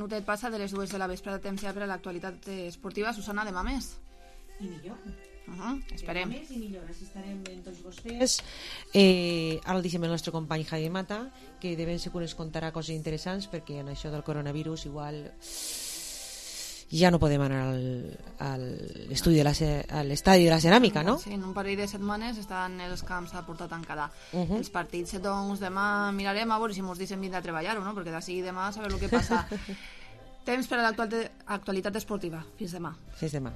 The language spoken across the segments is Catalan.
minutet passa de les 2 de la vesprada, temps ja per a l'actualitat esportiva. Susana, demà més. I millor. Esperem. Demà més i millor, així estarem en tots vostès. Ara el deixem el nostre company Jaime Mata, que de ben segur ens contarà coses interessants, perquè en això del coronavirus igual ja no podem anar a l'estadi de la ceràmica, no? Sí, en un parell de setmanes estan els camps a porta tancada. Els partits, doncs, demà mirarem a veure si ens deixen vindre a treballar o no, perquè d'ací demà a saber el que passa. Temps per a l'actualitat esportiva. Fins demà. Fins demà.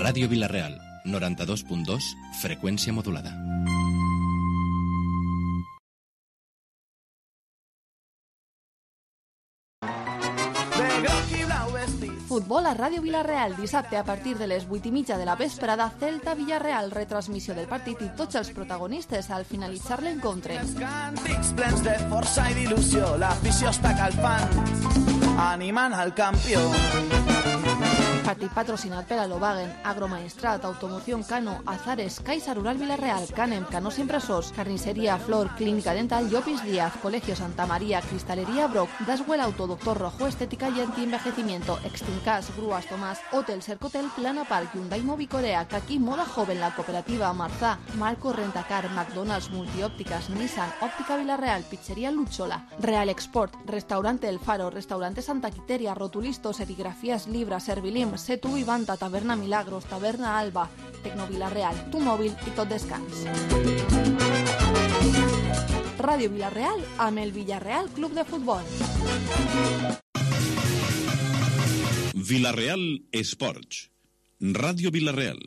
Ràdio Vila-real, 92.2, freqüència modulada. Futbol a Ràdio Vila-real, dissabte a partir de les 8:30 de la vesprada, Celta-Villarreal, retransmissió del partit i tots els protagonistes al finalitzar l'encontre. Els càntics plens de força i d'il·lusió, l'afició està calfant, animant al campió. Partit patrocinat per Alovagen, Agromaestrat, Automoción Cano, Azares, Caixa Rural Vila-real, Canem, Canós Impressors, Carnisseria Flor, Clínica Dental, Llopis Díaz, Colegio Santa María, Cristalería Broc, Daswell Auto, Doctor Rojo, Estética y Antienvejecimiento, Extincas, Grúas Tomás, Hotel Cercotel, Plana Park, Hyundai Movicorea, Kaki Moda Joven, La Cooperativa, Marzá, Marco Rentacar, McDonald's, Multiópticas, Nissan, Óptica Vila-real, Pizzería Luchola, Real Export, Restaurante El Faro, Restaurante Santa Quiteria, Rotulisto, Serigrafías Libra, Servilim, Setu i Vanta, Taverna Milagros, Taverna Alba, Tecno Vila-real, Tu Mòbil i Tot Descans. Ràdio Vila-real amb el Villarreal Club de Futbol. Vila-real Esports. Ràdio Vila-real.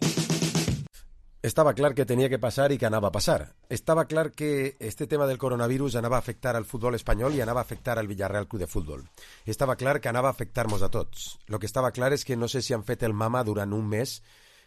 Estava clar que tenia que passar i que anava a passar. Estava clar que este tema del coronavirus anava a afectar al futbol espanyol i anava a afectar al Villarreal Club de Futbol. Estava clar que anava a afectar-nos a tots. Lo que estava clar és que no sé si han fet el mama durant un mes,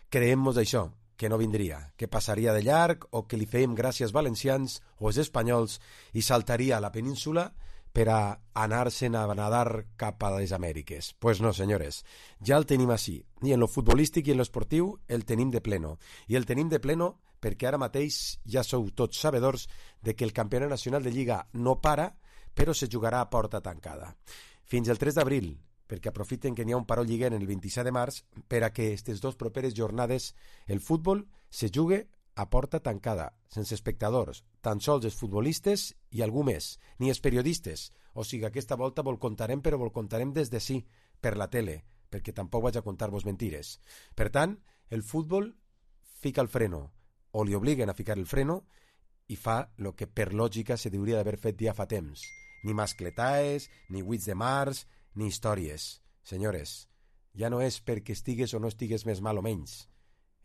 creiem-nos això, que no vindria, que passaria de llarg o que li fèiem gràcies valencians o els espanyols i saltaria a la península per a anar-se'n a nadar cap a les Amèriques. Pues no, senyores, ja el tenim així. I en lo futbolístic i en lo esportiu el tenim de pleno. I el tenim de pleno perquè ara mateix ja sou tots sabedors de que el campionat nacional de Lliga no para, però se jugarà a porta tancada. Fins el 3 d'abril, perquè aprofiten que n'hi ha un paró lliguer en el 27 de març per a que aquestes dues properes jornades el futbol se jugue a porta tancada, sense espectadors, tan sols els futbolistes i algú més, ni els periodistes. O sigui, aquesta volta vol contarem, però vol contarem des de sí, per la tele, perquè tampoc vaig a contar-vos mentires. Per tant, el futbol fica el freno, o li obliguen a ficar el freno, i fa el que per lògica se hauria d'haver fet ja fa temps. Ni mascletaes, ni 8 de març, ni històries. Senyores, ja no és perquè estigues o no estigues més mal o menys.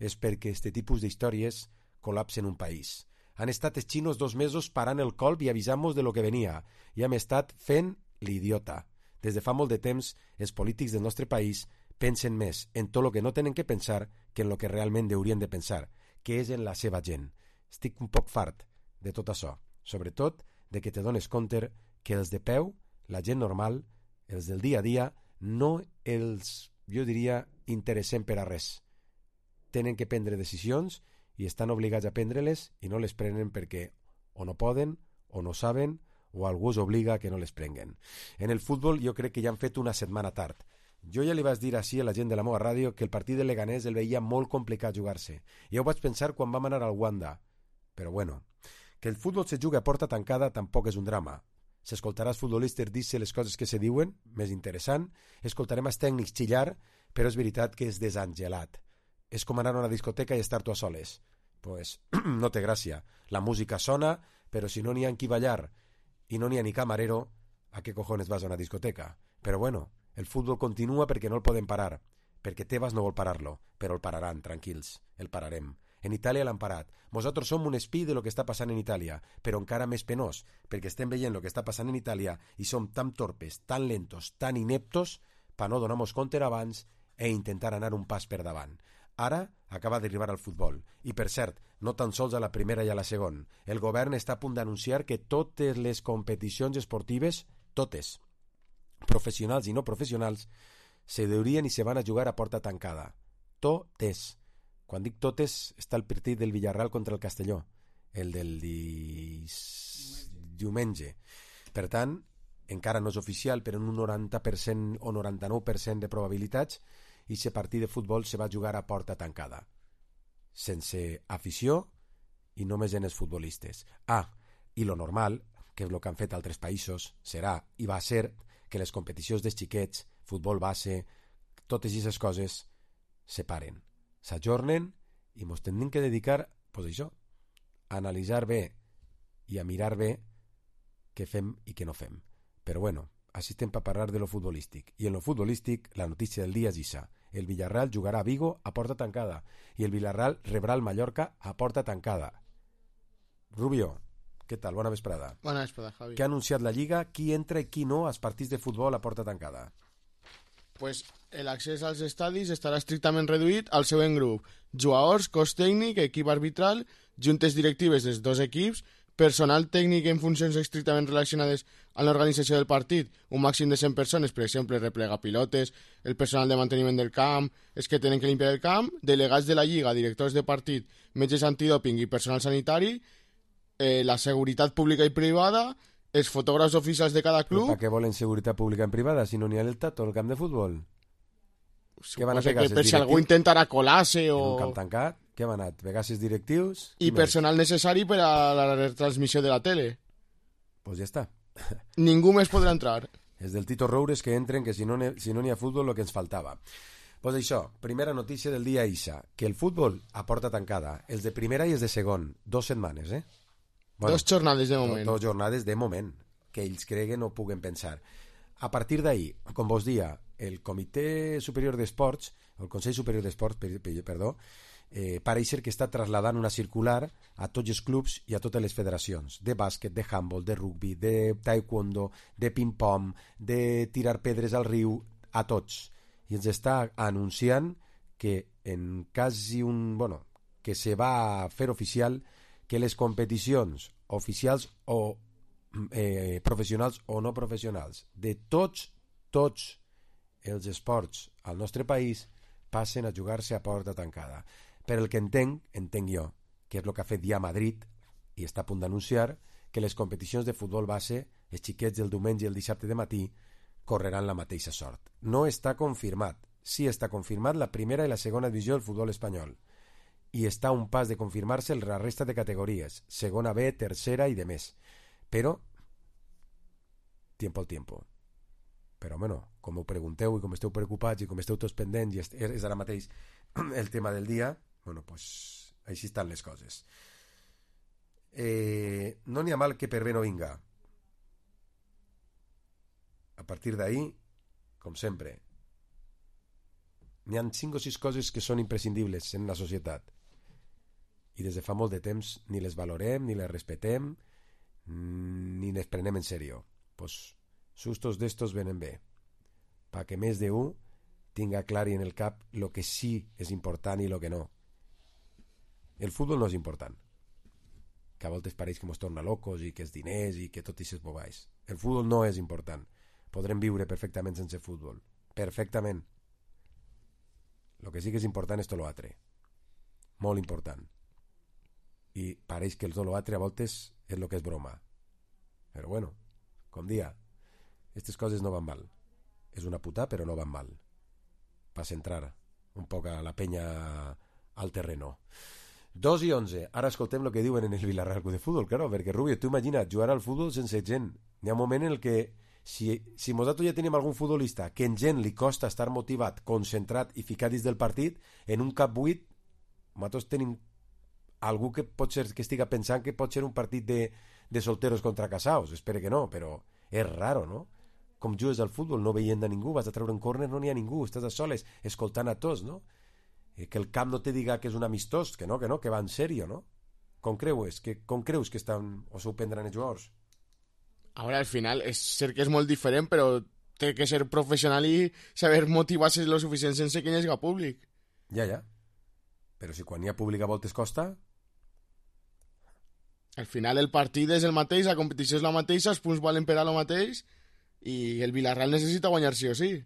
És perquè este tipus d'històries col·lapsen un país. Han estat els xinos 2 mesos parant el colp i avisant-nos de lo que venia, i hem estat fent l'idiota. Des de fa molt de temps, els polítics del nostre país pensen més en tot el que no tenen que pensar que en el que realment haurien de pensar, que és en la seva gent. Estic un poc fart de tot això, sobretot de que te dones compte que els de peu, la gent normal, els del dia a dia, no els, jo diria, interessem per a res. Tenen que prendre decisions i estan obligats a prendre-les i no les prenen perquè o no poden, o no saben, o algú els obliga a que no les prenguen. En el futbol jo crec que ja han fet una setmana tard. Jo ja li vaig dir així a la gent de la meva ràdio que el partit del Leganés el veia molt complicat jugar-se. Ja ho vaig pensar quan vam anar al Wanda. Però bueno, que el futbol se jugui a porta tancada tampoc és un drama. S'escoltarà els futbolistes dir-se les coses que se diuen, més interessant, escoltarem els tècnics xillar, però és veritat que és desangelat. És com anar a una discoteca i estar tu a soles. Pues no té gràcia. La música sona, però si no n'hi ha en qui ballar i no n'hi ha ni camarero, ¿a qué cojones vas a una discoteca? Però bueno, el futbol continua perquè no el podem parar, perquè Tebas no vol parar-lo, però el pararan, tranquils, el pararem. En Itàlia l'han parat. Nosaltres som un espí de lo que està passant en Itàlia, però encara més penós, perquè estem veient lo que està passant en Itàlia i som tan torpes, tan lentos, tan ineptos, per no donar-nos compte abans e intentar anar un pas per davant. Ara acaba d'arribar al futbol. I, per cert, no tan sols a la primera i a la segona. El govern està a punt d'anunciar que totes les competicions esportives, totes, professionals i no professionals, se deurien i se van a jugar a porta tancada. Totes. Quan dic totes, està el partit del Villarreal contra el Castelló, el del diumenge. Per tant, encara no és oficial, però en un 90% o 99% de probabilitats, i aquest partit de futbol se va jugar a porta tancada, sense afició i només en els futbolistes. I lo normal, que és el que han fet altres països, serà i va ser que les competicions dels xiquets, futbol base, totes aquestes coses se paren, s'ajornen i ens hem de dedicar, pues això, a analitzar bé i a mirar bé què fem i què no fem. Però bueno, així estem per parlar de lo futbolístic. I en lo futbolístic, la notícia del dia és això. El Villarreal jugarà a Vigo a porta tancada i el Villarreal rebrà el Mallorca a porta tancada. Rubio, què tal? Bona vesprada. Bona vesprada, Javi. Què ha anunciat la Lliga? Qui entra i qui no als partits de futbol a porta tancada? Pues l'accés als estadis estarà estrictament reduït al següent grup: jugadors, cos tècnic, equip arbitral, juntes directives dels dos equips, personal tècnic en funcions estrictament relacionades amb l'organització del partit, un màxim de 100 persones, per exemple, replegar pilotes, el personal de manteniment del camp, els que tenen que limpiar el camp, delegats de la Lliga, directors de partit, metges antidòping i personal sanitari, la seguretat pública i privada, els fotògrafs oficials de cada club... Per què volen seguretat pública en privada si no n'hi ha el tato al camp de futbol? Què van a Suposo pegar, que per si algú intentarà colar-se o... En un camp tancat? Què van a pegar els directius? I personal necessari per a la retransmissió de la tele. Pues ja està. Ningú més podrà entrar. És del Tito Roures que entren, que si no n'hi ha futbol, el que ens faltava. Pues això, primera notícia del dia Isa, que el futbol a porta tancada, els de primera i els de segon, 2 setmanes, Bueno, 2 jornades de moment. 2 jornades de moment, que ells creguen o puguen pensar. A partir d'ahir, com vos dia, el Comitè Superior d'Esports, el Consell Superior d'Esports, perdó, pareix que està trasladant una circular a tots els clubs i a totes les federacions de bàsquet, de handball, de rugby, de taekwondo, de ping-pong, de tirar pedres al riu, a tots. I ens està anunciant que en quasi que se va a fer oficial que les competicions oficials o professionals o no professionals de tots els esports al nostre país passen a jugar-se a porta tancada. Per el que entenc jo, que és el que ha fet ja Madrid i està a punt d'anunciar que les competicions de futbol base, els xiquets del diumenge i el dissabte de matí, correran la mateixa sort. No està confirmat. Sí està confirmat la primera i la segona divisió del futbol espanyol. I està a un pas de confirmar-se la resta de categories, segona B, tercera i de més. Però, tiempo al tiempo. Però, com ho pregunteu i com esteu preocupats i com esteu tots pendents i és ara mateix el tema del dia, pues així estan les coses. No n'hi ha mal que per bé no vinga. A partir d'ahir, com sempre, n'hi ha 5 o 6 coses que són imprescindibles en la societat i des de fa molt de temps ni les valorem, ni les respetem, ni les prenem en sèrio. Pues sustos d'estos venen bé, perquè més d'un tinga clar en el cap lo que sí és important i lo que no. El futbol no és important. que a voltes pareix que mos torna locos i que és diners i que tot i ses bobais. El futbol no és important. Podrem viure perfectament sense futbol. Perfectament. El que sí que és important és tot l'altre. Molt important. I pareix que el tot l'altre a voltes és el que és broma. Però bueno, com dia, aquestes coses no van mal. És una puta, però no van mal. Per centrar un poc a la penya al terreno. 2:11. Ara escoltem el que diuen en el Villarreal Club de Futbol, claro, perquè Rubio, tu imagina't jugar al futbol sense gent. Hi ha un moment en el que si nosaltres ja tenim algun futbolista que en gent li costa estar motivat, concentrat i ficat dins del partit, en un cap 8 nosaltres tenim algú que pot ser que estiga pensant que pot ser un partit de solteros contra casaos. Espero que no, però és raro, no? Com jugues al futbol no veient a ningú, vas a treure un córner, no n'hi ha ningú, estàs a soles, escoltant a tots, no? Que el camp no te diga que és un amistós, que no, que va en sèrio, no? Com creus que estan o s'ho prendran els jugadors? Ahora al final és cert que és molt diferent, però té que ser professional i saber motivar-se lo suficient sense que hi hagi públic. Ja. Però si quan hi ha públic a voltes costa... Al final el partit és el mateix, la competició és la mateixa, els punts valen per a lo mateix i el Villarreal necessita guanyar sí o sí.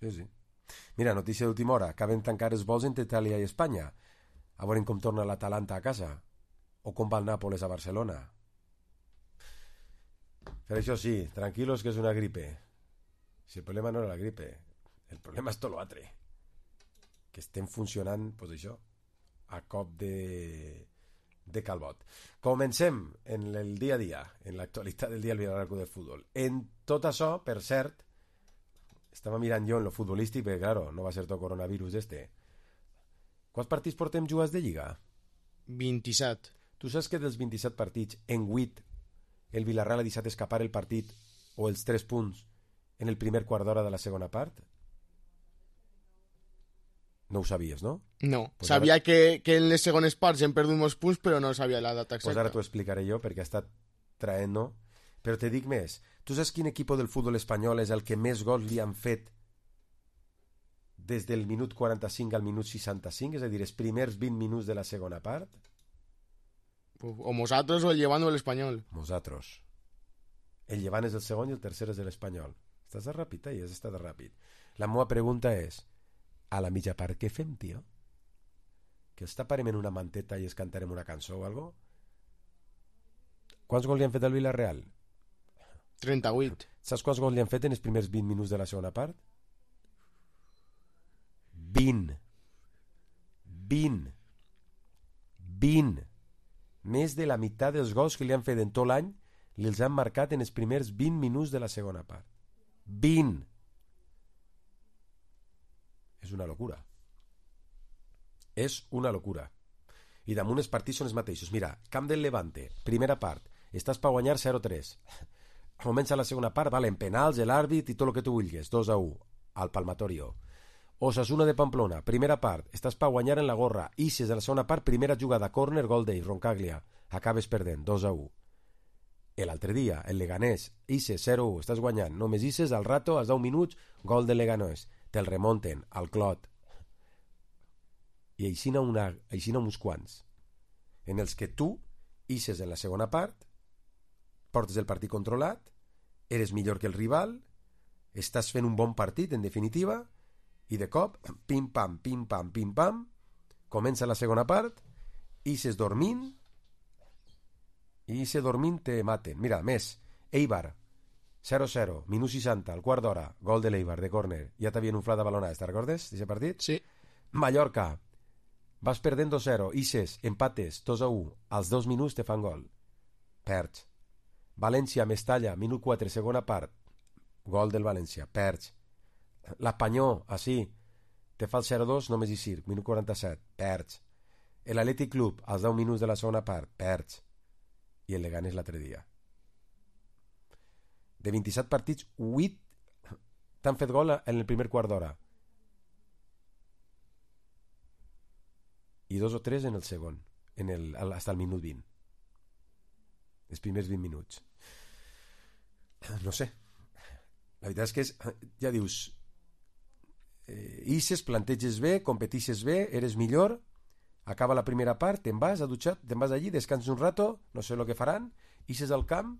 Sí. Mira, notícia d'última hora. Acaben tancar els vols entre Itàlia i Espanya. A veure com torna l'Atalanta a casa. O com va el Nàpoles a Barcelona. Per això sí, tranquilos que és una gripe. Si el problema no era la gripe, el problema és tot l'altre. Que estem funcionant, doncs això, a cop de calbot. Comencem en el dia a dia, en l'actualitat del dia al Villarreal Club de Futbol. En tot això, per cert, estava mirant jo en lo futbolístic, perquè, claro, no va ser tot coronavirus Quants partits portem jugats de Lliga? 27. Tu saps que dels 27 partits, en 8, el Villarreal ha deixat escapar el partit o els 3 punts en el primer quart d'hora de la segona part? No ho sabies, no? No, Pues sabia ara... que en les segones parts hem perdut molts punts, però no sabia la data exacta. Pues ara t'ho explicaré jo, perquè ha estat traent, no? Però te dic més. Tu saps quin equip del futbol espanyol és el que més gols li han fet des del minut 45 al minut 65? És a dir, els primers 20 minuts de la segona part? O nosaltres o el Llevant o l'Espanyol. Nosaltres. El Llevant és el segon i el tercer és l'Espanyol. Estàs de ràpid, has estat ràpid. La meva pregunta és, a la mitja part què fem, tio? Que els taparem en una manteta i es cantarem una cançó o alguna cosa? Quants gols li han fet al Villarreal? 38. Saps quants gols li han fet en els primers 20 minuts de la segona part? 20. Més de la meitat dels gols que li han fet en tot l'any li els han marcat en els primers 20 minuts de la segona part. 20. És una locura. És una locura. I damunt els partits són els mateixos. Mira, camp del Levante, primera part, estàs per guanyar 0-3. Comença la segona part, valen penals, l'àrbit i tot el que tu vulguis, 2-1 al Palmatorio. Osasuna de Pamplona, primera part, estàs per guanyar en la gorra, ixes de la segona part, primera jugada, córner, gol d'ell, Roncaglia, acabes perdent, 2-1. L'altre dia, el Leganés, ixes, 0-1, estàs guanyant, només ixes, al rato, als 10 minuts, gol de Leganés, te'l remonten, al Clot. I aixina uns quants, en els que tu ixes en la segona part, portes el partit controlat, eres millor que el rival, estàs fent un bon partit, en definitiva, i de cop, pim-pam, pim-pam, pim-pam, comença la segona part, ixes dormint, i ixes dormint te maten. Mira, més, Eibar, 0-0, minut 60, al quart d'hora, gol de l'Eibar, de córner, ja t'havien inflat a balonades, te'n recordes, d'aquest partit? Sí. Mallorca, vas perdent 2-0, ixes, empates, 2-1, als 2 minuts te fan gol, perds. València, Mestalla, minut 4, segona part, gol del València, perds. L'Espanyol, així, te fa el 0-2, només hi circ, minut 47, perds. L'Atlètic Club, als 10 minuts de la segona part, perds. I el Leganés l'altre dia. De 27 partits, 8 t'han fet gol en el primer quart d'hora. I 2 o 3 en el segon, hasta el minut 20. Els primers 20 minuts. No sé. La veritat és que ja dius, ixes, planteges bé, competixes bé, eres millor, Acaba la primera part, te'n vas a dutxar, te'n vas allí, descanses un rato, no sé el que faran, ixes al camp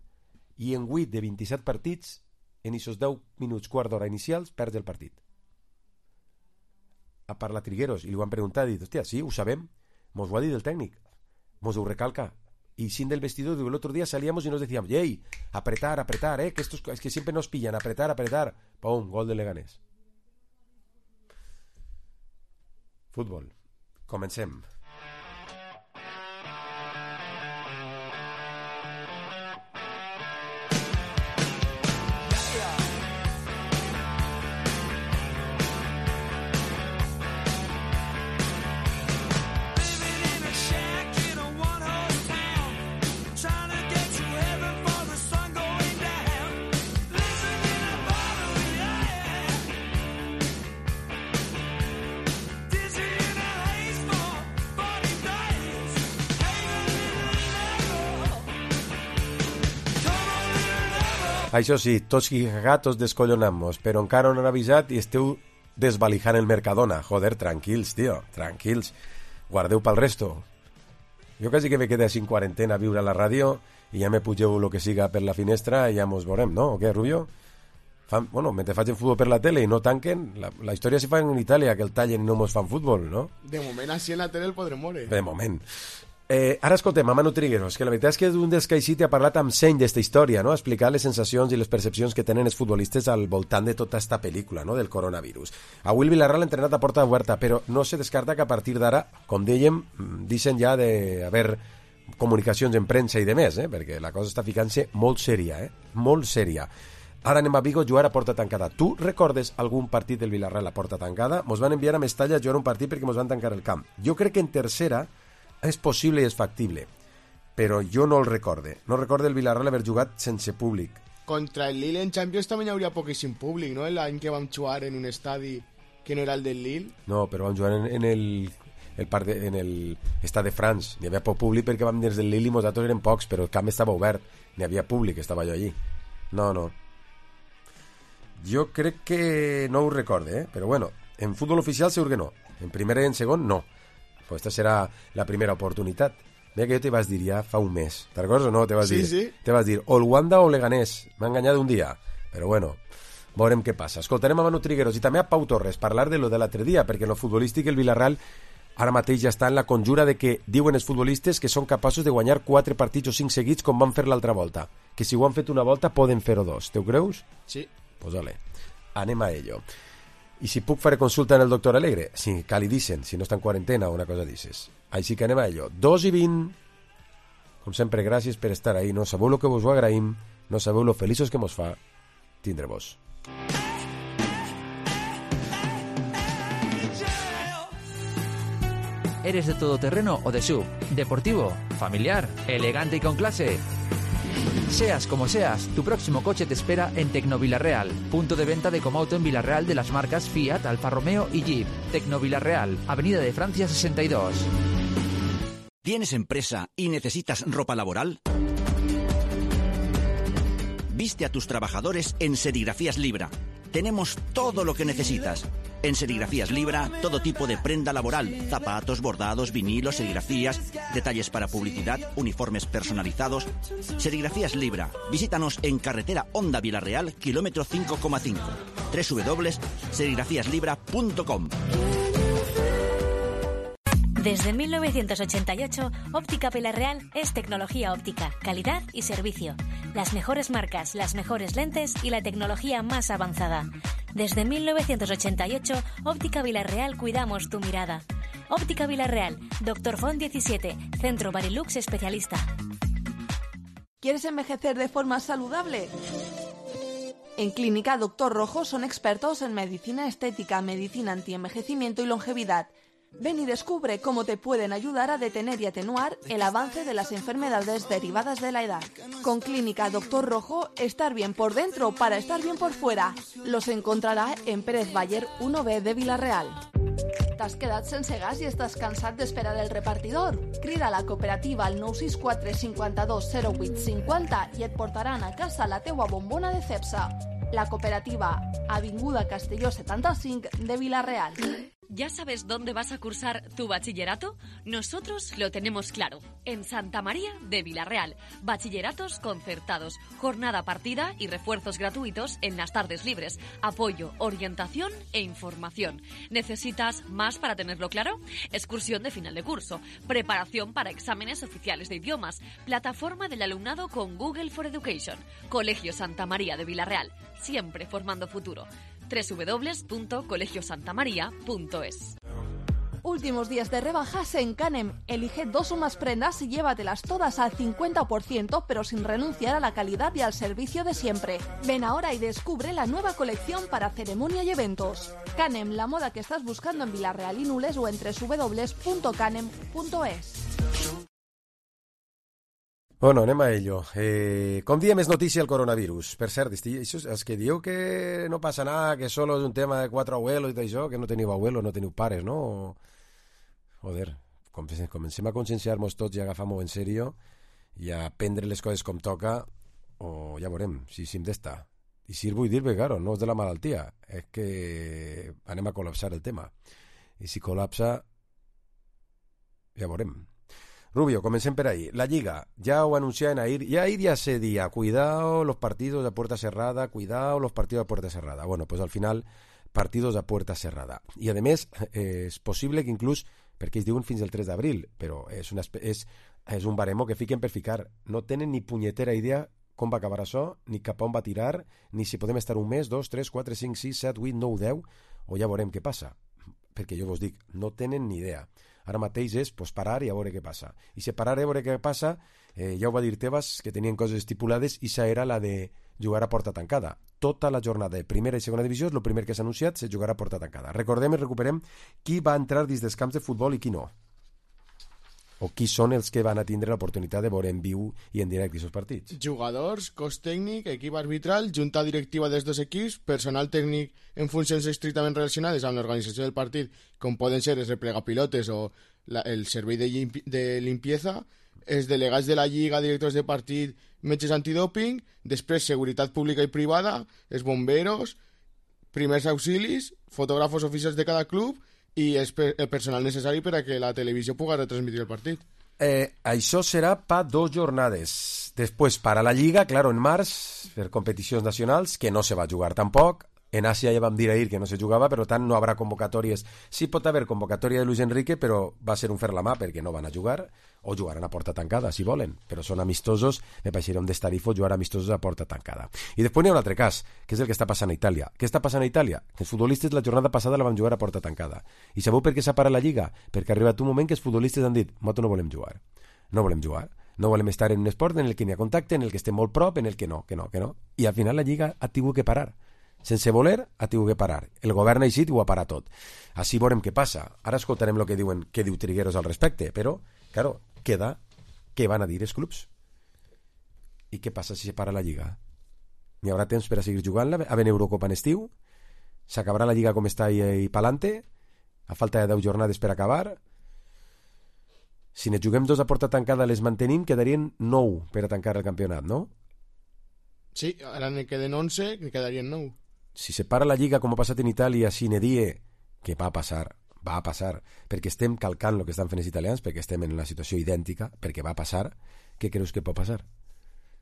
i en 8 de 27 partits, en aquests 10 minuts, quart d'hora inicials, perds el partit. Ha parlat Trigueros i li ho han preguntat i dit, hòstia, sí, ho sabem, mos ho ha dit el tècnic, mos ho recalca. Y sin del vestidor, el otro día salíamos y nos decíamos, ¡ey! Apretar, que estos es que siempre nos pillan, apretar. ¡Pum! Gol de Leganés. Fútbol. Comencem. Això sí, tots i gatos descollonamos, però encara no han avisat i esteu desvalijant el Mercadona. Joder, tranquils, tio, tranquils. Guardeu pel resto. Jo quasi que me quedé així en quarantena a viure a la ràdio i ja me pugeu el que siga per la finestra i ja mos veurem, no? O què, Rubio? Bueno, mentre facin futbol per la tele i no tanquen, la història se fa en Itàlia, que el tallen i no mos fan futbol, no? De moment, així en la tele el podrem moure. De moment. Ara escoltem a Manu Trigueros, que la veritat és que un dels que així ha parlat amb seny d'esta història, no? Ha explicat les sensacions i les percepcions que tenen els futbolistes al voltant de tota esta pel·lícula, no? Del coronavirus. Avui el Villarreal ha entrenat a porta oberta, però no se descarta que a partir d'ara, com dèiem, deixen ja d'haver comunicacions en premsa i de més, perquè la cosa està ficant-se molt sèria, molt sèria. Ara anem a Vigo a jugar a porta tancada. Tu recordes algun partit del Villarreal a porta tancada? Mos van enviar a Mestalla a jugar un partit perquè mos van tancar el camp. Jo crec que en tercera és possible i és factible, però jo no el recorde. No recorde el Villarreal haver jugat sense públic. Contra el Lille en Champions també hi hauria poquíssim públic, no? L'any que vam jugar en un estadi que no era el del Lille. No, però vam jugar en el Stade de France. N'hi havia poc públic perquè vam des del Lille i nosaltres eren pocs, però el camp estava obert. N'hi havia públic, estava jo allí. No. Jo crec que no ho recorde, però bueno, en futbol oficial segur que no. En primera i en segon, no. Pues esta serà la primera oportunitat. Mira que jo te vas dir ja fa un mes. Te'n recordes o no? Te vas dir, sí. Te vas dir o el Wanda o Leganés. M'ha enganyat un dia. Però bueno, veurem què passa. Escoltarem a Manu Trigueros i també a Pau Torres parlar de lo de l'altre dia, perquè en lo futbolístic el Villarreal ara mateix ja està en la conjura de que diuen els futbolistes que són capaços de guanyar 4 partits o 5 seguits com van fer l'altra volta. Que si ho han fet una volta poden fer-ho 2. Te ho creus? Sí. Pues ole, anem a ello. I si puc fer consulta en el doctor Alegre? Sí, cal i dicen, si no està en quarantena o una cosa dices. Així que anem a ello. 2:20. Com sempre, gràcies per estar ahí. No sabeu lo que vos ho agraïm, no sabeu lo feliços que mos fa tindre-vos. ¿Eres de todoterreno o de SUV? ¿Deportivo? ¿Familiar? ¿Elegante y con clase? Seas como seas, tu próximo coche te espera en Tecnovillarreal, punto de venta de Comauto en Villarreal de las marcas Fiat, Alfa Romeo y Jeep. Tecnovillarreal, Avenida de Francia 62. ¿Tienes empresa y necesitas ropa laboral? Viste a tus trabajadores en Serigrafías Libra. Tenemos todo lo que necesitas. En Serigrafías Libra, todo tipo de prenda laboral, zapatos, bordados, vinilos, serigrafías, detalles para publicidad, uniformes personalizados. Serigrafías Libra. Visítanos en carretera Honda Villarreal, kilómetro 5,5. www.serigrafíaslibra.com. Desde 1988, Óptica Villarreal es tecnología óptica, calidad y servicio. Las mejores marcas, las mejores lentes y la tecnología más avanzada. Desde 1988, Óptica Villarreal cuidamos tu mirada. Óptica Villarreal, Dr. Font 17, Centro Barilux especialista. ¿Quieres envejecer de forma saludable? En Clínica Dr. Rojo son expertos en medicina estética, medicina antienvejecimiento y longevidad. Ven y descubre cómo te pueden ayudar a detener y atenuar el avance de las enfermedades derivadas de la edad. Con Clínica Dr. Rojo, estar bien por dentro para estar bien por fuera. Los encontrarà en Pérez Baller 1B de Vila-real. T'has quedat sense gas i estàs cansat d'esperar el repartidor? Crida a la cooperativa al 964 52 08 50 i et portaran a casa la teua bombona de Cepsa. La cooperativa, Avinguda Castelló 75 de Vila-real. ¿Ya sabes dónde vas a cursar tu bachillerato? Nosotros lo tenemos claro. En Santa María de Vilarreal. Bachilleratos concertados, jornada partida y refuerzos gratuitos en las tardes libres. Apoyo, orientación e información. ¿Necesitas más para tenerlo claro? Excursión de final de curso. Preparación para exámenes oficiales de idiomas. Plataforma del alumnado con Google for Education. Colegio Santa María de Vilarreal. Siempre formando futuro. www.colegiosantamaria.es. Últimos días de rebajas en Canem. Elige 2 o más prendas y llévatelas todas al 50%, pero sin renunciar a la calidad y al servicio de siempre. Ven ahora y descubre la nueva colección para ceremonia y eventos. Canem, la moda que estás buscando en Vilarreal y Nules o en www.canem.es. Bueno, anem a ello. Com diem, és notícia el coronavirus. Per cert, els que dieu que no passa nada, que solo és un tema de 4 abuelos i tot això, que no teniu abuelos, no teniu pares, no? Joder, comencem a conscienciar-nos tots i agafar-ho en sèrio i a prendre les coses com toca, o ja veurem si hem d'estar. I si vull dir-me, claro, no és de la malaltia, és que anem a col·lapsar el tema. I si col·lapsa, ja veurem. Rubio, comencem per ahí. La Lliga, ya ho anunciaban ahir ya se día, cuidado los partidos a puerta cerrada, cuidado los partidos a puerta cerrada. Bueno, pues al final, partidos a puerta cerrada. I a més, és possible que inclús, perquè es diuen fins al 3 d'abril, però és un baremo que fiquen per ficar. No tenen ni punyetera idea com va acabar això, ni cap on va tirar, ni si podem estar un mes, 2, 3, 4, 5, 6, 7, 8, 9, 10, o ja veurem què passa. Perquè jo vos dic, no tenen ni idea. Ara mateix és parar i a veure què passa. I si parar i a veure què passa, ja ho va dir Tebas, que tenien coses estipulades, i això era la de jugar a porta tancada. Tota la jornada de primera i segona divisió és el primer que s'ha anunciat, se jugarà a porta tancada. Recordem i recuperem qui va entrar dins dels camps de futbol i qui no. O qui són els que van a tindre l'oportunitat de veure en viu i en directe aquests partits. Jugadors, cos tècnic, equip arbitral, junta directiva dels dos equips, personal tècnic en funcions estrictament relacionades amb l'organització del partit, com poden ser els replegapilotes o el servei de limpieza, els delegats de la Lliga, directors de partit, metges antidòping, després seguretat pública i privada, els bomberos, primers auxilis, fotògrafos oficials de cada club i el personal necessari per a que la televisió pugui retransmitir el partit. Això serà per 2 jornades. Després, para la Lliga, claro, en març, per competicions nacionals, que no se va jugar tampoc. En Àsia ja vam dir ahir que no se jugava, per tant no haurà convocatòries. Sí pot haver convocatòria de Luis Enrique, però va ser un fer la mà perquè no van a jugar, o jugaran a porta tancada, si volen, però són amistosos, me pareixeria un destarifo jugar amistosos a porta tancada. I després n'hi ha un altre cas, que és el que està passant a Itàlia. Què està passant a Itàlia? Que els futbolistes la jornada passada la van jugar a porta tancada. I sabeu per què s'ha parat la Lliga? Perquè ha arribat un moment que els futbolistes han dit, nosaltres no volem jugar. No volem jugar. No volem estar en un esport en el que n'hi ha contacte, en el que estem molt prop, en el que no. I al final la Lliga ha tingut que parar. Sense voler, ha tingut que parar. El govern ha eixit i ho ha parat tot. Així veurem què passa. Ara escoltarem el que diu Trigueros al respecte, però, claro, queda què van a dir els clubs. I què passa si se para la Lliga? N'hi haurà temps per a seguir jugant-la? A venir Eurocopa en estiu? S'acabarà la Lliga com està i pa'lante? A falta de 10 jornades per acabar? Si ne juguem 2 a porta tancada les mantenim, quedarien 9 per a tancar el campionat, no? Sí, ara ne queden 11, ne quedarien 9. Si se para la Lliga, com ha passat en Itàlia, sine die, que va a passar, perquè estem calcant el que estan fent els italians, perquè estem en una situació idèntica, perquè va a passar, què creus que pot passar?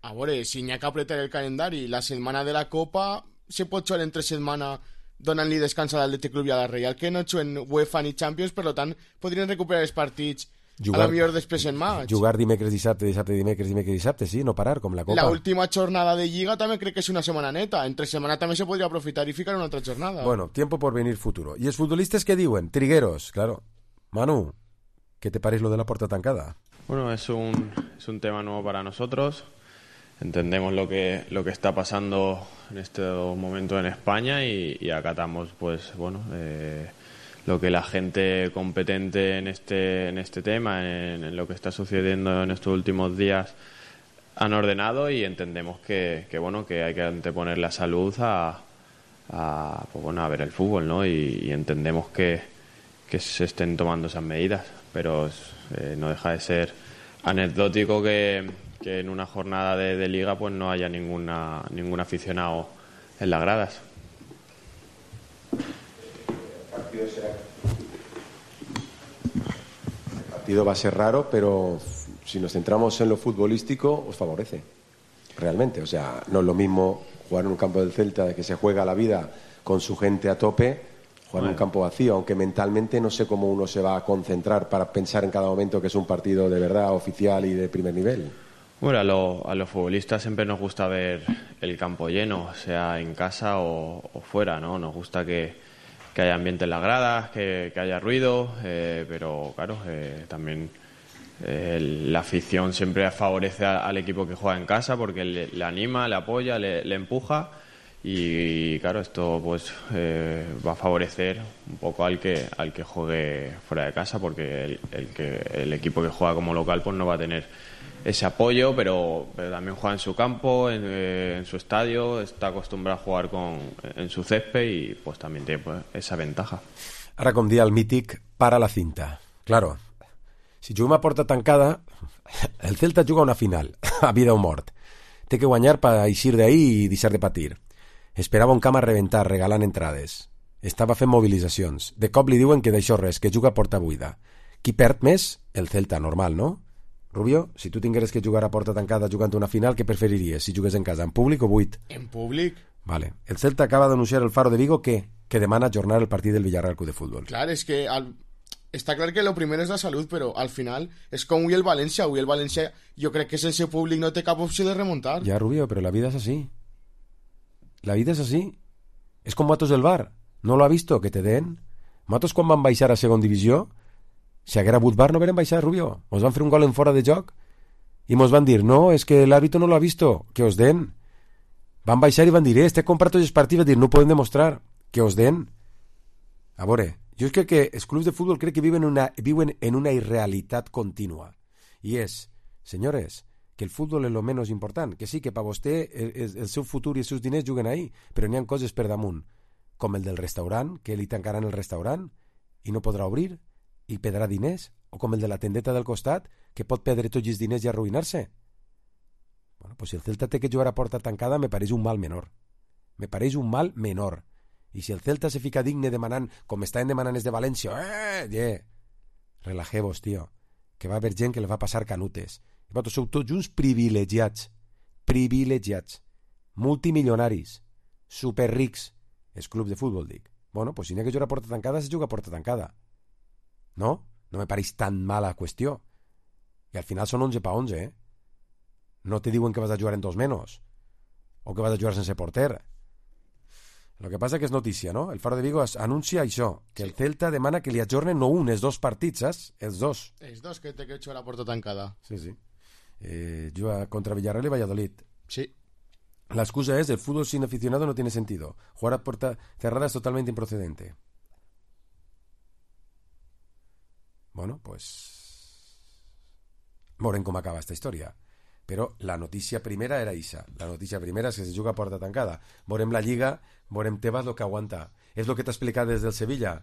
A veure, si n'hi ha que apretar el calendari, la setmana de la Copa se pot jugar entre setmana donant-li descans a l'Atlètic Club i a la Reial, que no juguen UEFA ni Champions, per tant, podrien recuperar els partits a la millor després en maig. Jugar dimecres, dissabte, sí, no parar, com la Copa. La última jornada de Lliga també crec que és una setmana neta. Entre setmana també se podria aprofitar i ficar una altra jornada. Bueno, tiempo por venir futuro. ¿Y los futbolistas qué diuen? Trigueros, claro. Manu, ¿qué te parece lo de la puerta tancada? Bueno, es un tema nuevo para nosotros. Entendemos lo que está pasando en este momento en España y acatamos, pues, bueno, lo que la gente competente en este tema, en lo que está sucediendo en estos últimos días, han ordenado, y entendemos que hay que anteponer la salud a ver el fútbol, ¿no? Y entendemos que se estén tomando esas medidas, pero no deja de ser anecdótico que en una jornada de liga pues no haya ningún aficionado en las gradas. partido va a ser raro, pero si nos centramos en lo futbolístico, os favorece, realmente. O sea, no es lo mismo jugar en un campo del Celta que se juega la vida con su gente a tope, jugar en un campo vacío, aunque mentalmente no sé cómo uno se va a concentrar para pensar en cada momento que es un partido de verdad, oficial y de primer nivel. Bueno, a los futbolistas siempre nos gusta ver el campo lleno, sea en casa o fuera, ¿no? Nos gusta que haya ambiente en las gradas, que haya ruido, pero claro, también la afición siempre favorece al equipo que juega en casa porque le anima, le apoya, le empuja y claro, esto pues va a favorecer un poco al que juegue fuera de casa porque el equipo que juega como local pues no va a tener ese apoyo, pero también juega en su campo, en su estadio, está acostumbrado a jugar en su césped y pues también tiene pues, esa ventaja. Ara, com dia el mític, para la cinta. Claro, si juguem a porta tancada, el Celta juga una final, a vida o mort. Té que guanyar per eixir d'ahí i deixar de patir. Esperava un camp a reventar, regalant entrades. Estava fent mobilitzacions. De cop li diuen que d'això res, que juga a porta buida. Qui perd més? El Celta, normal, no? Rubio, si tu tingueres que jugar a porta tancada jugant una final, què preferiries? Si jugués en casa, en públic o buit? En públic. Vale. El Celta acaba d'anunciar el Faro de Vigo que demana ajornar el partit del Villarreal Club de Fútbol. Clar, és que està clar que lo primero és la salut, però al final és com avui el València. Avui el València jo crec que sense públic no té cap opció de remuntar. Ja, Rubio, però la vida és així. La vida és així. És com Matos del Bar. No lo ha visto, que te den. Matos quan van baixar a segon divisió, si haguera hagut VAR no hagueren baixat, Rubio. Mos van fer un gol en fora de joc i mos van dir, no, és que l'àrbitro no lo ha visto, que os den. Van baixar i van dir, este compra tots els partits, van dir, no podem demostrar, que os den. A veure, jo crec que els clubs de futbol crec que viven en una irrealitat contínua. I és, senyores, que el futbol és lo menys important, que sí, que per vostè el seu futur i els seus diners juguen ahí, però n'hi ha coses per damunt, com el del restaurant, que li tancaran el restaurant i no podrà obrir, i perdrà diners, o com el de la tendeta del costat, que pot perdre tots els diners i arruïnar-se. Bueno, pues si el Celta té que jugar a porta tancada, me pareix un mal menor. Me pareix un mal menor. I si el Celta se fica digne demanant, com estaven demanant els de València, relajeu-vos, tio, que va haver gent que li va passar canutes. I vosaltres sou tots uns privilegiats, multimilionaris, superrics, els clubs de futbol, dic. Bueno, pues si n'hi ha que jugar a porta tancada, se juga a porta tancada. No? No me pareix tan mala qüestió. I al final són 11 pa 11, eh? No te diuen que vas a jugar en 2 menos o que vas a jugar sense porter. Lo que passa que és notícia, no? El Faro de Vigo anuncia això, que el Celta demana que li ajornen no un, els 2 partits, saps? Els 2. Els 2 que té que jugar a porta tancada. Sí. Juga contra Villarreal y Valladolid. Sí. La excusa es, el fútbol sin aficionado no tiene sentido. Jugar a puerta cerrada es totalmente improcedente. Bueno, pues veurem com acaba esta història. Però la notícia primera era ixa. La notícia primera és que se juga a porta tancada. Veurem la Lliga, veurem Tebas lo que aguanta. És lo que t'ha explicat des del Sevilla.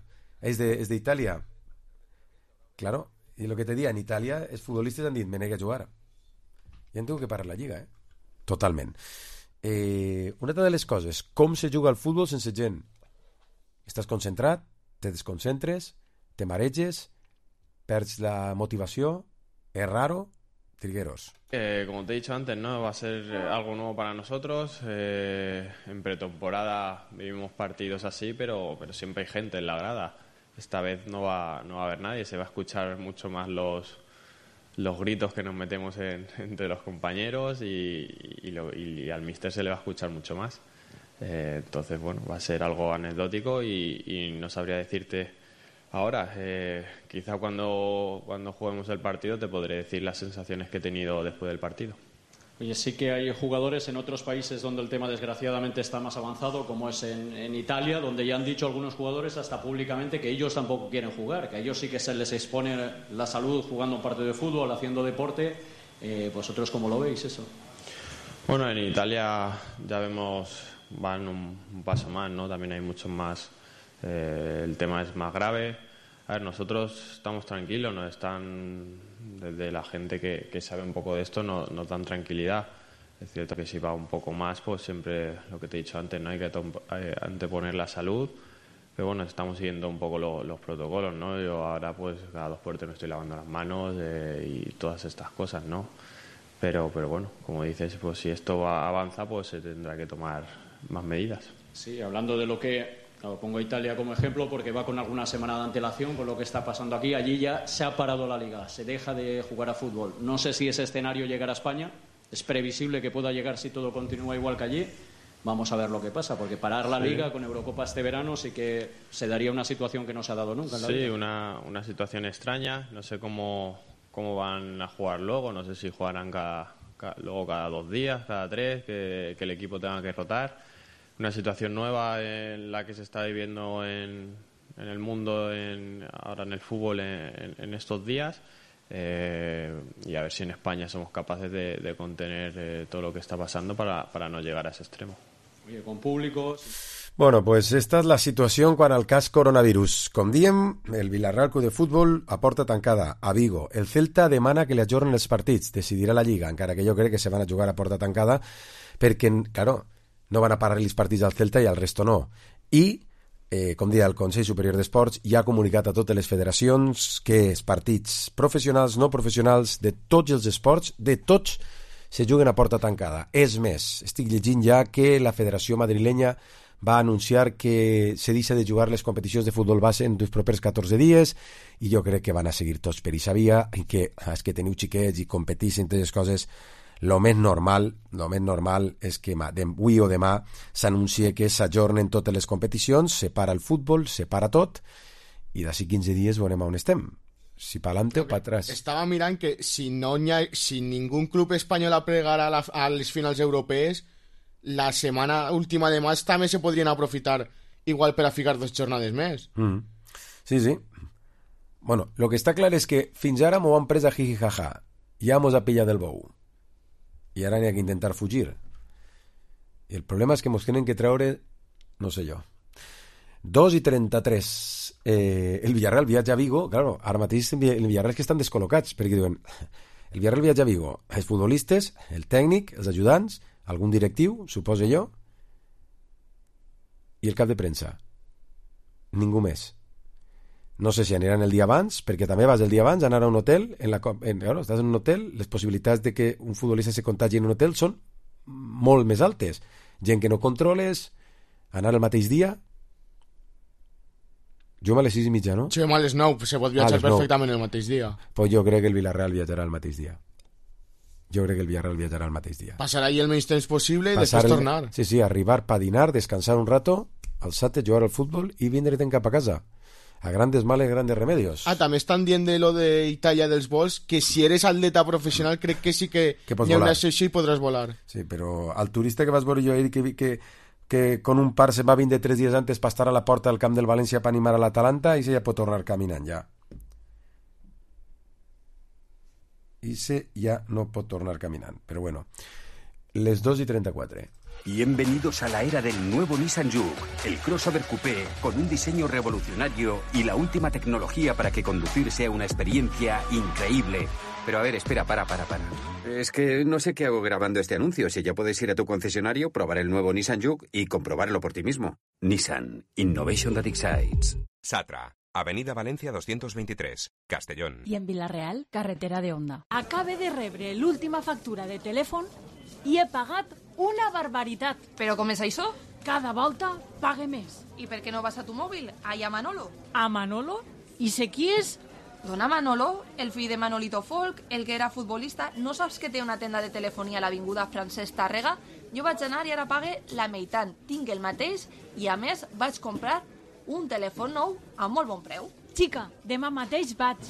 És d'Itàlia. Claro, i lo que te dia, en Itàlia els futbolistes han dit, me negue a jugar. Ja en tengo que parar la Lliga, Totalment. Una altra de les coses, com se juga al futbol sense gent? Estàs concentrat, te desconcentres, te mareges, perds la motivació, es raro, Trigueros. Como te he dicho antes, ¿no? Va a ser algo nuevo para nosotros. En pretemporada vivimos partidos así, pero siempre hay gente en la grada. Esta vez no va a haber nadie, se va a escuchar mucho más los gritos que nos metemos entre los compañeros y al míster se le va a escuchar mucho más. Entonces, bueno, va a ser algo anecdótico y no sabría decirte ahora. Quizá cuando juguemos el partido te podré decir las sensaciones que he tenido después del partido. Oye, sí que hay jugadores en otros países donde el tema desgraciadamente está más avanzado, como es en Italia, donde ya han dicho algunos jugadores hasta públicamente que ellos tampoco quieren jugar, que a ellos sí que se les expone la salud jugando un partido de fútbol, haciendo deporte. ¿Vosotros cómo lo veis eso? Bueno, en Italia ya vemos, van un paso más, ¿no? También hay muchos más, el tema es más grave. A ver, nosotros estamos tranquilos, nos están, desde la gente que sabe un poco de esto, nos dan tranquilidad. Es cierto que si va un poco más, pues siempre lo que te he dicho antes, no hay que anteponer la salud, Pero bueno, estamos siguiendo un poco los protocolos, ¿no? Yo ahora pues cada 2 por 3 me estoy lavando las manos y todas estas cosas, ¿no? Pero bueno, como dices, pues si esto avanza, pues se tendrá que tomar más medidas. Sí, hablando de lo que... Pongo a Italia como ejemplo porque va con alguna semana de antelación con lo que está pasando aquí. Allí ya se ha parado la liga, se deja de jugar a fútbol. No sé si ese escenario llegará a España. Es previsible que pueda llegar si todo continúa igual que allí. Vamos a ver lo que pasa, porque parar la liga con Eurocopa este verano sí que se daría una situación que no se ha dado nunca en la liga. Una situación extraña. No sé cómo van a jugar luego. No sé si jugarán luego cada 2 días, cada 3, que el equipo tenga que rotar. Una situación nueva en la que se está viviendo en el mundo, ahora en el fútbol en estos días. Y a ver si en España somos capaces de contener todo lo que está pasando para no llegar a ese extremo. Oye, con públicos... Bueno, pues esta és la situació quant al cas coronavirus. Com diem, el Villarreal Club de Futbol a porta tancada a Vigo. El Celta demana que li ajornen els partits, decidirà la Lliga, encara que jo crec que se van a jugar a porta tancada, perquè, claro, no van a parar els partits al Celta i al resto no. I, com deia el Consell Superior d'Esports, ja ha comunicat a totes les federacions que els partits professionals, no professionals, de tots els esports, de tots, se juguen a porta tancada. És més, estic llegint ja que la Federació Madrilenya va anunciar que se deixa de jugar les competicions de futbol base en els propers 14 dies i jo crec que van a seguir tots per aquesta via i que els que teniu xiquets i competeixen totes les coses, lo més normal és que avui o demà s'anuncie que s'ajornen totes les competicions, se para el futbol, se para tot i d'ací 15 dies veurem on estem, si pa adelante o pa atrás. Estava mirant que si ningú club espanyol aplegara a les finals europees, la setmana última de maig també se podrien aprofitar igual per a ficar 2 jornades més. Sí. Bueno, lo que està clar és que fins ara m'ho han pres a jiji jaja, ja mos ha pillat del bou i ara n'hi ha que intentar fugir i el problema és que mos tenen que treure, no sé jo, 2:33 el Villarreal viatja a Vigo. Claro, ara mateix el Villarreal que estan descol·locats perquè diuen, el Villarreal viatja a Vigo, els futbolistes, el tècnic, els ajudants, algun directiu, suposo jo, i el cap de premsa. Ningú més. No sé si aniran el dia abans, perquè també vas el dia abans a anar a un hotel, claro, estàs en un hotel, les possibilitats de que un futbolista se contagi en un hotel són molt més altes. Gent que no controles, anar el mateix dia. Juguem a les 6:30, no? Juguem a les 9, se pot viatjar perfectament el mateix dia. Pues jo crec que el Villarreal viatjarà el mateix dia. Passar allí el menys temps possible i després tornar. Sí, arribar per dinar, descansar un rato, alçar-te, jugar al futbol i vindre'te'n cap a casa. A grandes males, grandes remedios. També estan dient de lo de Itàlia dels vols, que si eres atleta professional crec que sí que hi ha una excepció i podràs volar. Sí, però al turista que vas veure jo ahir que con un par se va vindre 3 dies antes per estar a la porta del camp del València per animar a l'Atalanta i se ja pot tornar caminant ja. Ya no pot tornar caminant, pero bueno, les 2:34. Bienvenidos a la era del nuevo Nissan Juke, el crossover coupé con un diseño revolucionario y la última tecnología para que conducir sea una experiencia increíble. Pero a ver, espera, para. Es que no sé qué hago grabando este anuncio. Si ya puedes ir a tu concesionario, probar el nuevo Nissan Juke y comprobarlo por ti mismo. Nissan, Innovation that excites. Satra, Avenida Valencia 223, Castellón. I en Vila-real, carretera de Onda. Acabe de rebre l'última factura de telèfon i he pagat una barbaritat. Però com és això? Cada volta pague més. I per què no vas a tu mòbil? Allà a Manolo. A Manolo? I sé qui és? Dona Manolo, el fill de Manolito Folk, el que era futbolista. No saps que té una tenda de telefonia a l'avinguda Francesc Tàrrega? Jo vaig anar i ara pague la meitat. Tinc el mateix i a més vaig comprar un telèfon nou a molt bon preu. Xica, demà mateix vaig.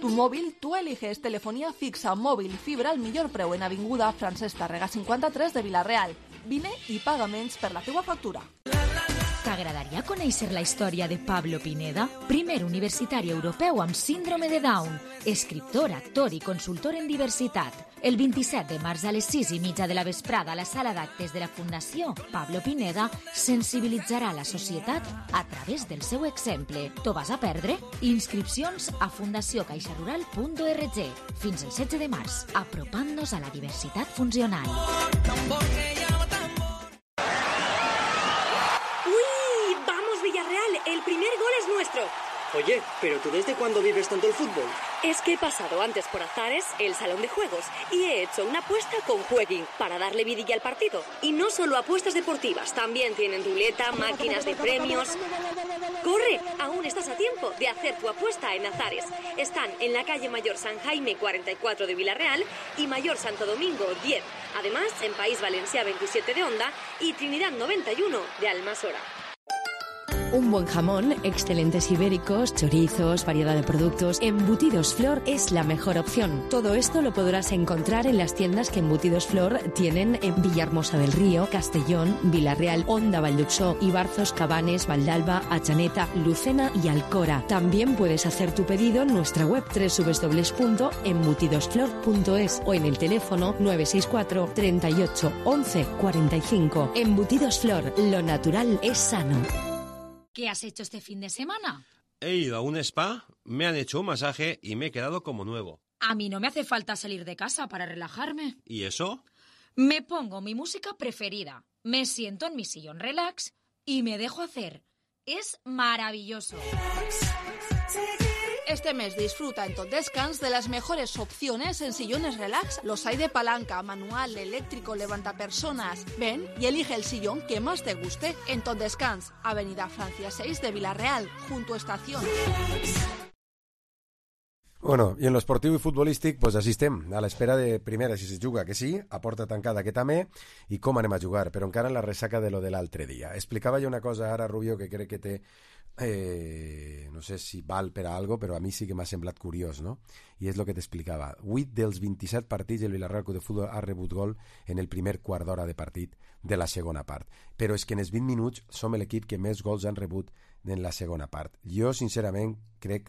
Tu móvil, tú eliges telefonía fixa, móvil, fibra al millor preu en avinguda Francesc Tàrrega 53 de Vila-real. Vine i paga menys per la teua factura. T'agradaria conèixer la història de Pablo Pineda? Primer universitari europeu amb síndrome de Down, escriptor, actor i consultor en diversitat. El 27 de març a les 6:30 de la vesprada a la sala d'actes de la Fundació Pablo Pineda sensibilitzarà la societat a través del seu exemple. T'ho vas a perdre? Inscripcions a fundaciocaixarural.org. Fins el 16 de març, apropant-nos a la diversitat funcional. nuestro. Oye, ¿pero tú desde cuándo vives tanto el fútbol? Es que he pasado antes por Azares, el salón de juegos, y he hecho una apuesta con Jueguin para darle vidilla al partido. Y no solo apuestas deportivas, también tienen ruleta, máquinas de premios. ¡Corre! Aún estás a tiempo de hacer tu apuesta en Azares. Están en la calle Mayor San Jaime 44 de Villarreal y Mayor Santo Domingo 10. Además, en País Valencià 27 de Onda y Trinidad 91 de Almasora. Un buen jamón, excelentes ibéricos, chorizos, variedad de productos. Embutidos Flor es la mejor opción. Todo esto lo podrás encontrar en las tiendas que Embutidos Flor tienen en Villahermosa del Río, Castellón, Villarreal, Onda, Valldexó, Ibarzos, Cabanes, Valdalba, Achaneta, Lucena y Alcora. También puedes hacer tu pedido en nuestra web www.embutidosflor.es o en el teléfono 964 38 11 45. Embutidos Flor, lo natural es sano. ¿Qué has hecho este fin de semana? He ido a un spa, me han hecho un masaje y me he quedado como nuevo. A mí no me hace falta salir de casa para relajarme. ¿Y eso? Me pongo mi música preferida, me siento en mi sillón relax y me dejo hacer. Es maravilloso. Este mes disfruta en Tot Descans de las mejores opciones en sillones relax. Los hay de palanca, manual, eléctrico, levantapersonas. Ven y elige el sillón que más te guste en Tot Descans, Avenida Francia 6 de Villarreal, junto a Estación. Bueno, i en l'esportiu i futbolístic doncs així estem, a l'espera de, primera, si se juga que sí, a porta tancada que també, i com anem a jugar, però encara en la ressaca de lo de l'altre dia. Explicava jo una cosa ara, Rubio, que crec que té, no sé si val per a algo, però a mi sí que m'ha semblat curiós, no? I és el que t'explicava. 8 dels 27 partits el Villarreal Club de Futbol ha rebut gol en el primer quart d'hora de partit de la segona part. Però és que en els 20 minuts som l'equip que més gols han rebut en la segona part. Jo, sincerament, crec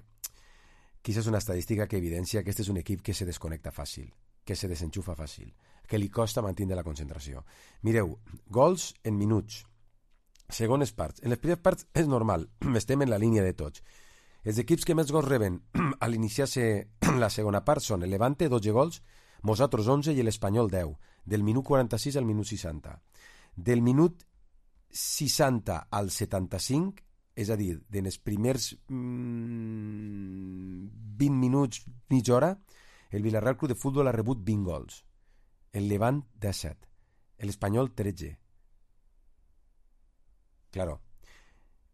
que és una estadística que evidencia que este és un equip que se desconnecta fàcil, que se desenxufa fàcil, que li costa mantenir la concentració. Mireu, gols en minuts, segones parts. En les primeres parts és normal, estem en la línia de tots. Els equips que més gols reben a l'iniciar-se la segona part són el Levante, 12 gols, nosaltres 11 i l'Espanyol 10, del minut 46 al minut 60. Del minut 60 al 75, és a dir, en els primers 20 minuts, mitja hora, el Villarreal Club de Futbol ha rebut 20 gols. El Levant, 17. L'Espanyol, 13. Claro,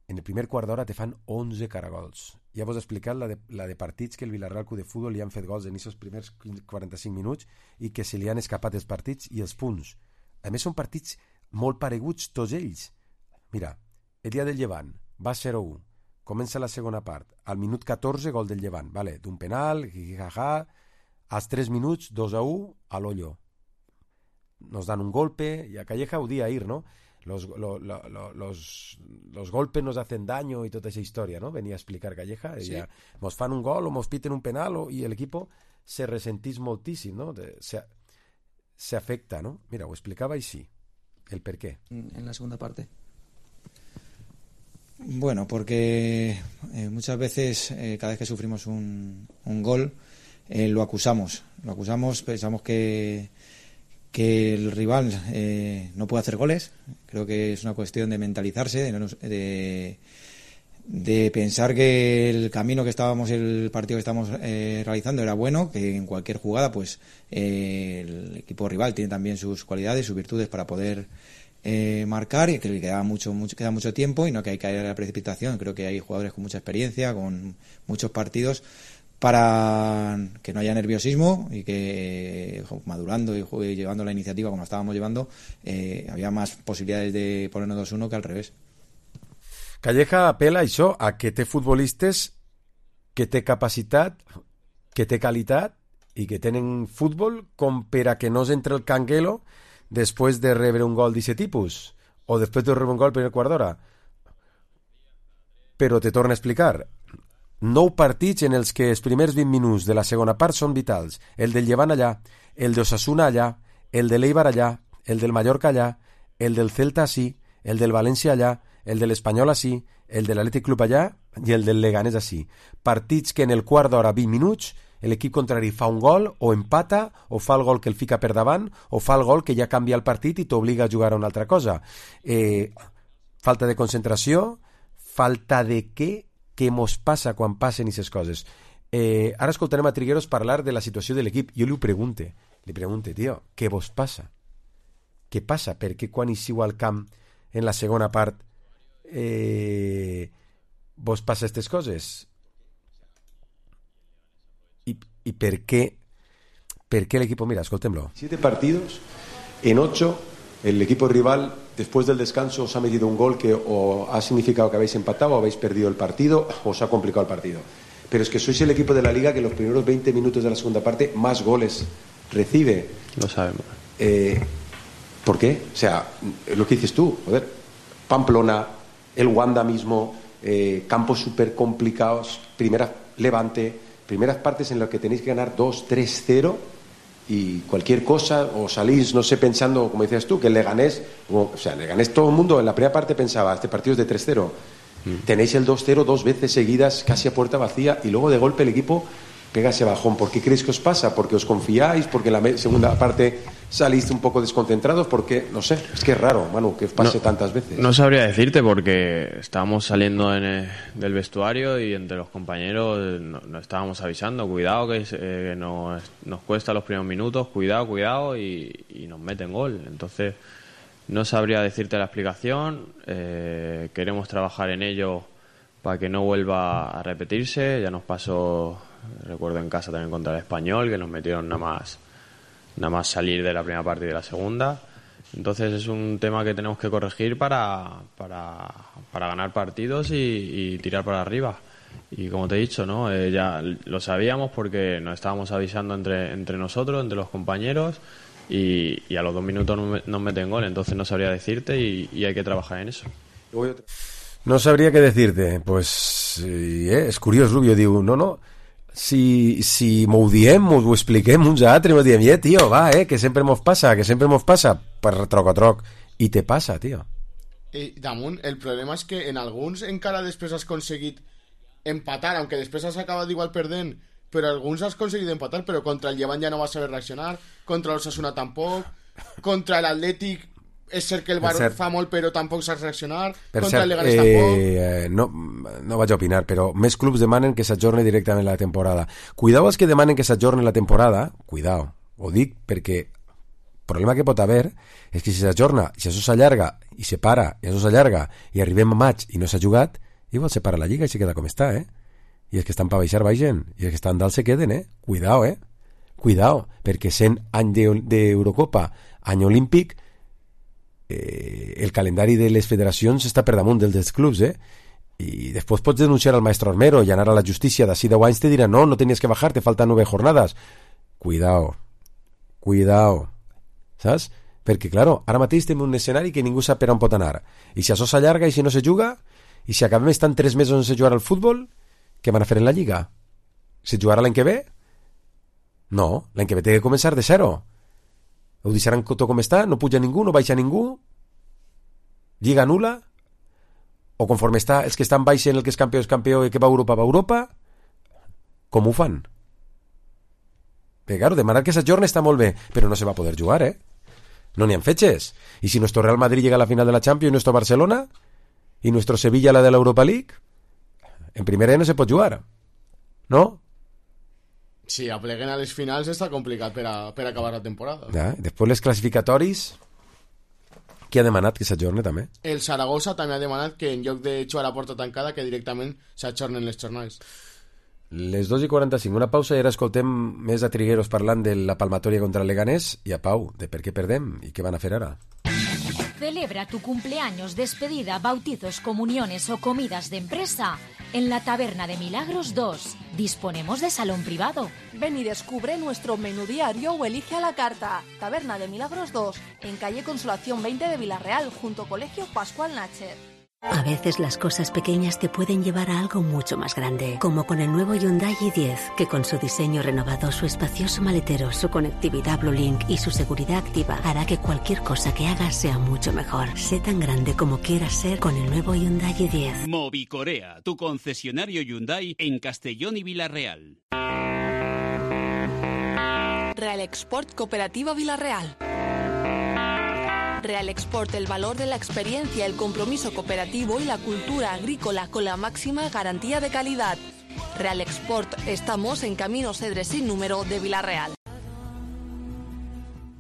en el primer quart d'hora te fan 11 caragols. Ja vos he explicat la de partits que el Villarreal Club de Futbol li han fet gols en aquests primers 45 minuts i que se li han escapat els partits i els punts. A més, són partits molt pareguts tots ells. Mira, el dia del Llevant va 0-1, comença la segona part, al minut 14 gol del Llevant, vale, d'un penal, jijijaja, als 3 minuts 2-1 a l'Ollo. Nos dan un golpe, y a Calleja ho dia ahir, ¿no? Los golpes nos hacen daño y toda esa historia, ¿no? Venía a explicar Calleja, sí. Ella, nos fan un gol o nos piten un penal y el equipo se resentís moltíssim, ¿no? Se afecta, ¿no? Mira, ho explicava y sí, el per qué. En la segunda parte. Bueno, porque muchas veces, cada vez que sufrimos un gol, lo acusamos, pensamos que el rival no puede hacer goles. Creo que es una cuestión de mentalizarse, de pensar que el camino que el partido que estamos realizando era bueno, que en cualquier jugada pues el equipo rival tiene también sus cualidades, sus virtudes para poder marcar, y que le queda mucho tiempo y no que hay que caer a la precipitación. Creo que hay jugadores con mucha experiencia, con muchos partidos, para que no haya nerviosismo y que madurando y llevando la iniciativa como estábamos llevando, había más posibilidades de ponernos 2-1 que al revés. Calleja apela a això, a que té futbolistes que té capacitat, que té qualitat i que tenen futbol com per a que no s'entre el canguelo després de rebre un gol d'aquest tipus o després de rebre un gol per el quart d'hora. Però te torno a explicar, 9 partits en els que els primers 20 minuts de la segona part són vitals. El del Llevant allà, el d'Osasuna allà, el de l'Eibar allà, el del Mallorca allà, el del Celta ací, el del València allà, el de l'Espanyol ací, el de l'Atlètic Club allà i el del Leganés ací. Partits que en el quart d'hora, 20 minuts, l'equip contrari fa un gol, o empata, o fa el gol que el fica per davant, o fa el gol que ja canvia el partit i t'obliga a jugar a una altra cosa. Falta de concentració, falta de què què mos passa quan passen aquestes coses. Ara escoltarem a Trigueros parlar de la situació de l'equip. Jo li pregunte, tio, què vos passa? Què passa? Per què quan eixiu al camp en la segona part vos passa aquestes coses? ¿Y por qué el equipo? Mira, escoltémoslo. 7 partidos, en 8 el equipo rival después del descanso os ha metido un gol que o ha significado que habéis empatado o habéis perdido el partido o os ha complicado el partido. Pero es que sois el equipo de la liga que en los primeros 20 minutos de la segunda parte más goles recibe. Lo sabemos. ¿Por qué? O sea, lo que dices tú, joder, Pamplona, el Wanda mismo, campos súper complicados, primeras partes en las que tenéis que ganar 2-3-0 y cualquier cosa, o salís, no sé, pensando, como decías tú, que el Leganés, todo el mundo en la primera parte pensaba, este partido es de 3-0. Tenéis el 2-0 2 veces seguidas, casi a puerta vacía, y luego de golpe el equipo pega ese bajón. ¿Por qué creéis que os pasa? ¿Porque os confiáis? ¿Porque en la segunda parte saliste un poco desconcentrados? Porque, no sé, es que es raro, Manu, que os pase tantas veces. No sabría decirte, porque estábamos saliendo del vestuario y entre los compañeros nos estábamos avisando, cuidado que nos cuesta los primeros minutos, cuidado, y nos meten gol. Entonces no sabría decirte la explicación. Queremos trabajar en ello para que no vuelva a repetirse. Ya nos pasó, recuerdo en casa también contra el Español, que nos metieron nada más salir de la primera parte y de la segunda. Entonces es un tema que tenemos que corregir para ganar partidos y tirar para arriba. Y como te he dicho, ¿no? Ya lo sabíamos porque nos estábamos avisando entre nosotros, entre los compañeros, y a los 2 minutos nos meten gol. Entonces no sabría decirte y hay que trabajar en eso. No sabría qué decirte. Pues és curiós, Rubio diu, no, si m'ho diem, m'ho expliquem uns a altres, m'ho diem, tio, va, que sempre mos passa, per troc a troc, i te passa, tio. Damunt, el problema és que en alguns encara després has aconseguit empatar, aunque després has acabat igual perdent, però alguns has aconseguit empatar, però contra el Llevant ja no vas saber reaccionar, contra l'Osasuna tampoc, contra l'Atlètic és cert que el Bar fa molt però tampoc saps reaccionar, contra el Leganés tampoc. No vaig a opinar, però més clubs demanen que s'ajorni directament la temporada. Cuidao els que demanen que s'ajorni la temporada, cuidao, ho dic perquè el problema que pot haver és que si s'ajorna, si això s'allarga i se para, i això s'allarga i arribem a maig i no s'ha jugat, igual se para la lliga i se queda com està, i els que estan per baixar baixen, i els que estan dalt se queden, cuidao, perquè sent any d'Eurocopa, any olímpic, el calendari de les federacions està per damunt del dels clubs, i després pots denunciar al maestro Armero i anar a la justícia d'ací 10 anys, te diran, no tenies que bajar, te faltan 9 jornades. Cuidao, saps? Perquè, claro, ara mateix tenim un escenari que ningú sap per on pot anar, i si això s'allarga i si no se juga, i si acabem estant 3 mesos sense jugar al futbol, què van a fer en la lliga? Se jugarà l'any que ve? No, l'any que ve té que començar de zero. Ho deixaran tot com està, no puja ningú, no baixa ningú, lliga nula, o conforme està els que estan baixen, el que és campió i que va a Europa, com ho fan? Perquè, claro, demanar que s'ajorni està molt bé, però no se va poder jugar, no n'hi ha fetges. I si nuestro Real Madrid llega a la final de la Champions, nuestro Barcelona, y nuestro Sevilla a la de la Europa League, en primera no se pot jugar, no? Si apleguen a les finals està complicat per acabar la temporada. Després les classificatoris, qui ha demanat que s'ajorni també? El Saragossa també ha demanat que en lloc de jugar a porta tancada que directament s'ajornen les jornades. Les 2:45, una pausa i ara escoltem més a Trigueros parlant de la palmatòria contra el Leganés i a Pau de per què perdem i què van a fer ara. Celebra tu cumpleaños, despedida, bautizos, comuniones o comidas de empresa en la Taberna de Milagros 2. Disponemos de salón privado. Ven y descubre nuestro menú diario o elige a la carta. Taberna de Milagros 2, en calle Consolación 20 de Villarreal, junto Colegio Pascual Nacher. A veces las cosas pequeñas te pueden llevar a algo mucho más grande, como con el nuevo Hyundai i10, que con su diseño renovado, su espacioso maletero, su conectividad BlueLink y su seguridad activa hará que cualquier cosa que hagas sea mucho mejor. Sé tan grande como quieras ser con el nuevo Hyundai i10. Movicorea, tu concesionario Hyundai en Castellón y Villarreal. Real Export Cooperativa Villarreal. Real Export, el valor de la experiencia, el compromiso cooperativo y la cultura agrícola con la máxima garantía de calidad. Real Export, estamos en Camino Cedres sin número de Vila-real.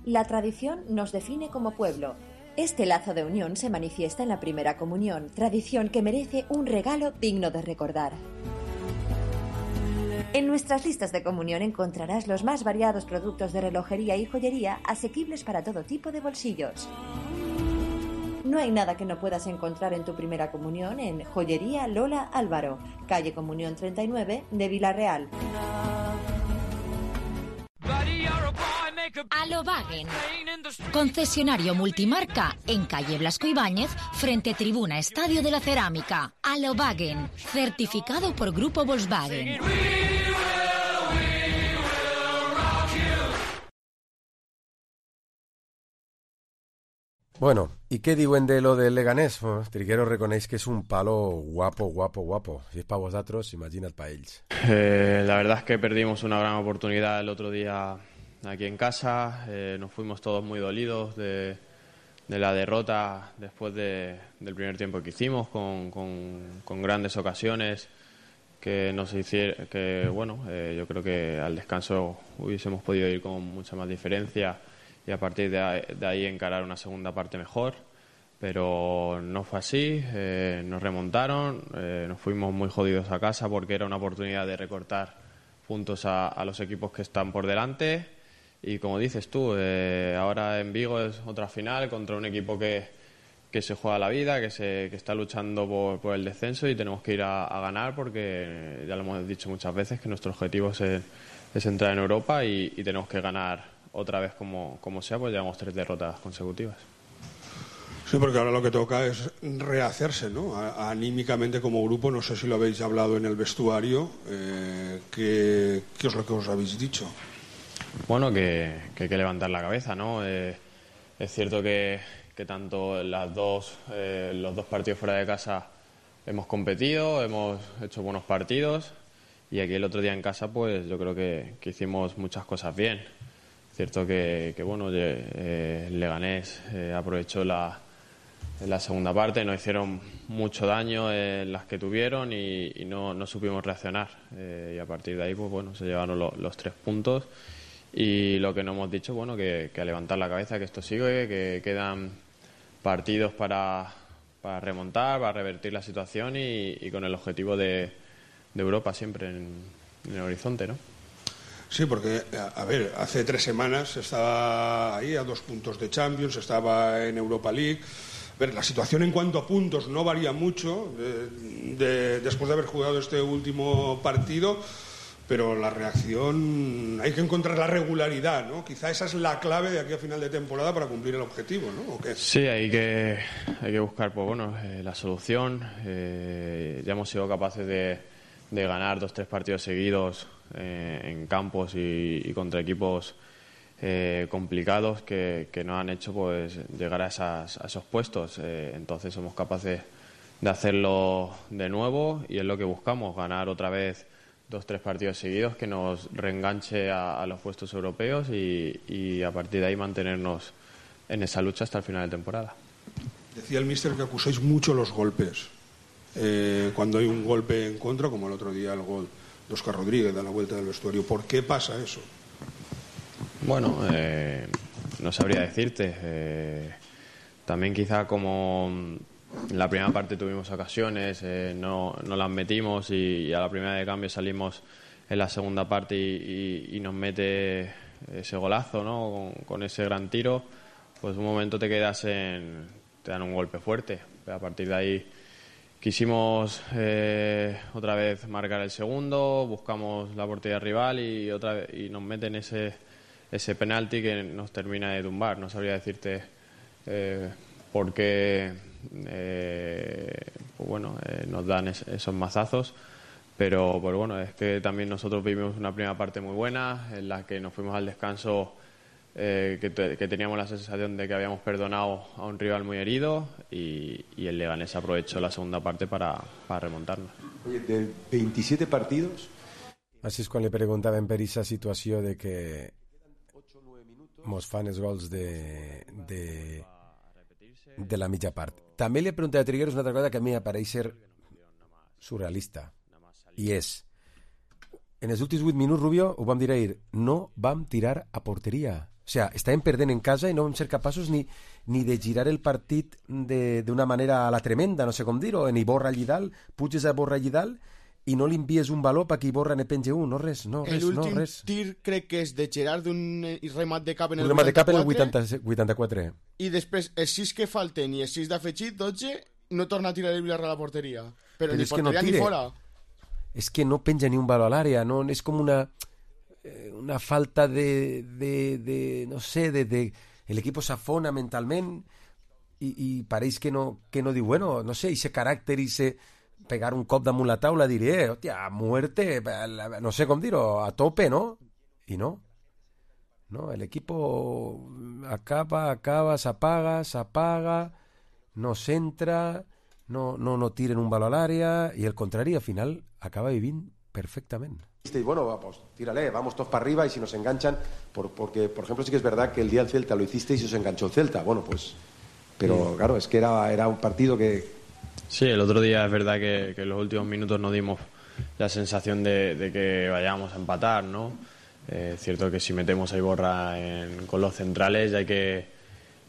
La tradición nos define como pueblo. Este lazo de unión se manifiesta en la primera comunión, tradición que merece un regalo digno de recordar. En nuestras listas de comunión encontrarás los más variados productos de relojería y joyería asequibles para todo tipo de bolsillos. No hay nada que no puedas encontrar en tu primera comunión en Joyería Lola Álvaro, calle Comunión 39 de Vila-real. Alobagen, concesionario multimarca en calle Blasco Ibáñez, frente Tribuna Estadio de la Cerámica. Alobagen, certificado por Grupo Volkswagen. Bueno, ¿y qué diuen de lo del Leganés? Bueno, Triguero reconeix que es un palo guapo. Si es para vosotros, imaginad para ellos. La verdad es que perdimos una gran oportunidad el otro día aquí en casa. Nos fuimos todos muy dolidos de la derrota después del primer tiempo que hicimos, con grandes ocasiones que nos hicieron que, bueno, yo creo que al descanso hubiésemos podido ir con mucha más diferencia y a partir de ahí encarar una segunda parte mejor, pero no fue así. Nos remontaron, nos fuimos muy jodidos a casa porque era una oportunidad de recortar puntos a los equipos que están por delante y, como dices tú, ahora en Vigo es otra final contra un equipo que se juega la vida, que está luchando por el descenso y tenemos que ir a ganar porque ya lo hemos dicho muchas veces que nuestro objetivo es entrar en Europa y tenemos que ganar otra vez como sea, pues llevamos 3 derrotas consecutivas. Sí, porque ahora lo que toca es rehacerse, ¿no? Anímicamente como grupo, no sé si lo habéis hablado en el vestuario, ¿qué es lo que os habéis dicho? Bueno, que hay que levantar la cabeza, ¿no? Es cierto que tanto los dos partidos fuera de casa hemos competido, hemos hecho buenos partidos y aquí el otro día en casa pues yo creo que hicimos muchas cosas bien. Cierto que bueno, el Leganés aprovechó la segunda parte, nos hicieron mucho daño en las que tuvieron y no supimos reaccionar. Y a partir de ahí pues bueno, se llevaron los 3 puntos y lo que nos hemos dicho, bueno, que a levantar la cabeza, que esto sigue, que quedan partidos para remontar, para revertir la situación y con el objetivo de Europa siempre en el horizonte, ¿no? Sí, porque, a ver, hace 3 semanas estaba ahí a 2 puntos de Champions, estaba en Europa League. A ver, la situación en cuanto a puntos no varía mucho después de haber jugado este último partido, pero la reacción, hay que encontrar la regularidad, ¿no? Quizá esa es la clave de aquí a final de temporada para cumplir el objetivo, ¿no? ¿O qué? Sí, hay que buscar pues, bueno, la solución. Ya hemos sido capaces de ganar 2-3 partidos seguidos en campos y contra equipos complicados que nos han hecho pues llegar a esos puestos. Entonces somos capaces de hacerlo de nuevo y es lo que buscamos, ganar otra vez 2-3 partidos seguidos que nos reenganche a los puestos europeos y a partir de ahí mantenernos en esa lucha hasta el final de temporada. Decía el míster que acusáis mucho los golpes. Cuando hay un golpe en contra, como el otro día el gol de Óscar Rodríguez da la vuelta del vestuario. ¿Por qué pasa eso? Bueno, no sabría decirte. También quizá como en la primera parte tuvimos ocasiones, no las metimos y a la primera de cambio salimos en la segunda parte y nos mete ese golazo, ¿no? Con ese gran tiro, pues un momento te dan un golpe fuerte. Pero a partir de ahí quisimos otra vez marcar el segundo, buscamos la portería rival y nos meten ese penalti que nos termina de tumbar. No sabría decirte por qué pues bueno, nos dan esos mazazos, pero bueno, es que también nosotros vivimos una primera parte muy buena en la que nos fuimos al descanso que teníamos la sensación de que habíamos perdonado a un rival muy herido y el Leganés aprovechó la segunda parte para remontarnos. Oye, de 27 partidos... Així és quan li preguntaven per aquesta situació de que mos fan els gols de de la mitja part. També li he preguntat a Trigueros una altra cosa que a mi m'apareix ser surrealista, i és, en els últims 8 minuts, Rubio, ho vam dir ahir, no vam tirar a porteria. O sea, estàvem perdent en casa i no vam ser capaços ni de girar el partit d'una manera a la tremenda, no sé com dir-ho, ni Iborra allí dalt, puges a Iborra allí dalt i no li envies un valor perquè Iborra ne penge un, no res. L'últim tir crec que és de Gerard d'un remat de cap en el 84. Un remat de cap en el 84. I després, els 6 que falten i els 6 d'afegit, 12, no torna a tirar el Villarreal a la porteria. Però ni porteria ni fora. És que no penja ni un valor a l'àrea, no? És com una falta de no sé, el equipo s'afona mentalment i pareix que no diu, bueno, no sé, ese caràcter, ese pegar un cop damunt la taula, diré, hòstia, muerte, no sé com dir-ho, a tope, ¿no? I no, el equipo acaba, s'apaga, no s'entra, no tiren un valor a l'àrea i el contrari, al final, acaba vivint perfectament. Y bueno, pues tírale, vamos todos para arriba y si nos enganchan, porque por ejemplo sí que es verdad que el día del Celta lo hicisteis y os enganchó el Celta, bueno pues, pero claro, es que era un partido que... Sí, el otro día es verdad que en los últimos minutos no dimos la sensación de que vayamos a empatar, ¿no? Es cierto que si metemos a Iborra con los centrales hay que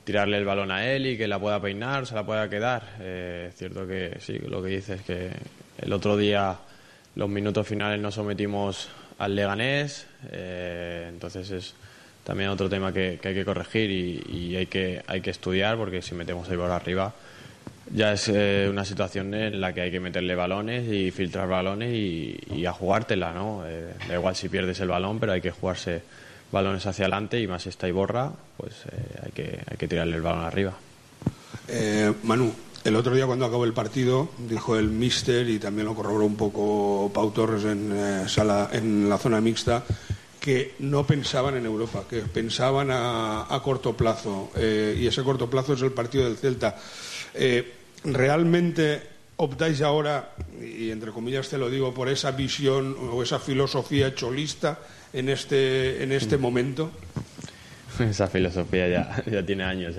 tirarle el balón a él y que la pueda peinar, se la pueda quedar. Es cierto que sí, lo que dices, que el otro día los minutos finales nos sometimos al Leganés, entonces es también otro tema que hay que corregir y hay que estudiar, porque si metemos a Iborra arriba ya es una situación en la que hay que meterle balones y filtrar balones y a jugártela, ¿no? Da igual si pierdes el balón, pero hay que jugarse balones hacia adelante, y más esta Iborra, pues hay que tirarle el balón arriba. Manu, el otro día cuando acabó el partido dijo el míster, y también lo corroboró un poco Pau Torres en la zona mixta, que no pensaban en Europa, que pensaban a corto plazo, y ese corto plazo es el partido del Celta. ¿Realmente optáis ahora, y entre comillas te lo digo, por esa visión o esa filosofía cholista en este momento? Esa filosofía ya tiene años,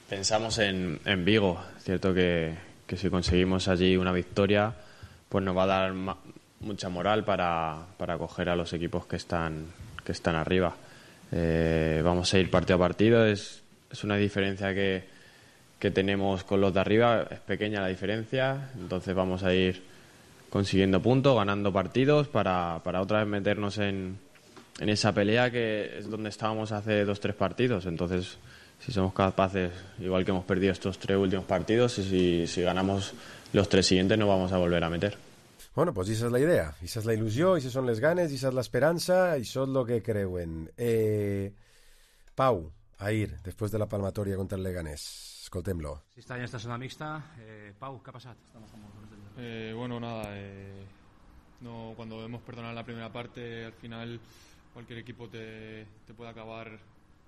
Pensamos en Vigo. Es cierto que si conseguimos allí una victoria, pues nos va a dar mucha moral para coger a los equipos que están arriba. Vamos a ir partido a partido. Es una diferencia que tenemos con los de arriba, es pequeña la diferencia, entonces vamos a ir consiguiendo puntos, ganando partidos para otra vez meternos en esa pelea que es donde estábamos hace 2-3 partidos. Entonces, si somos capaces, igual que hemos perdido estos 3 últimos partidos, y si ganamos los 3 siguientes, nos vamos a volver a meter. Bueno, pues esa és la idea, esa és la il·lusió, esa són les ganes, esa és l'esperança, i això és el que creuen. Pau, ahir, després de la palmatòria contra el Leganés, escoltem-lo. Si está en esta zona mixta, Pau, ¿qué ha pasado? Bueno, nada, no, cuando hemos perdonado la primera parte, al final cualquier equipo te puede acabar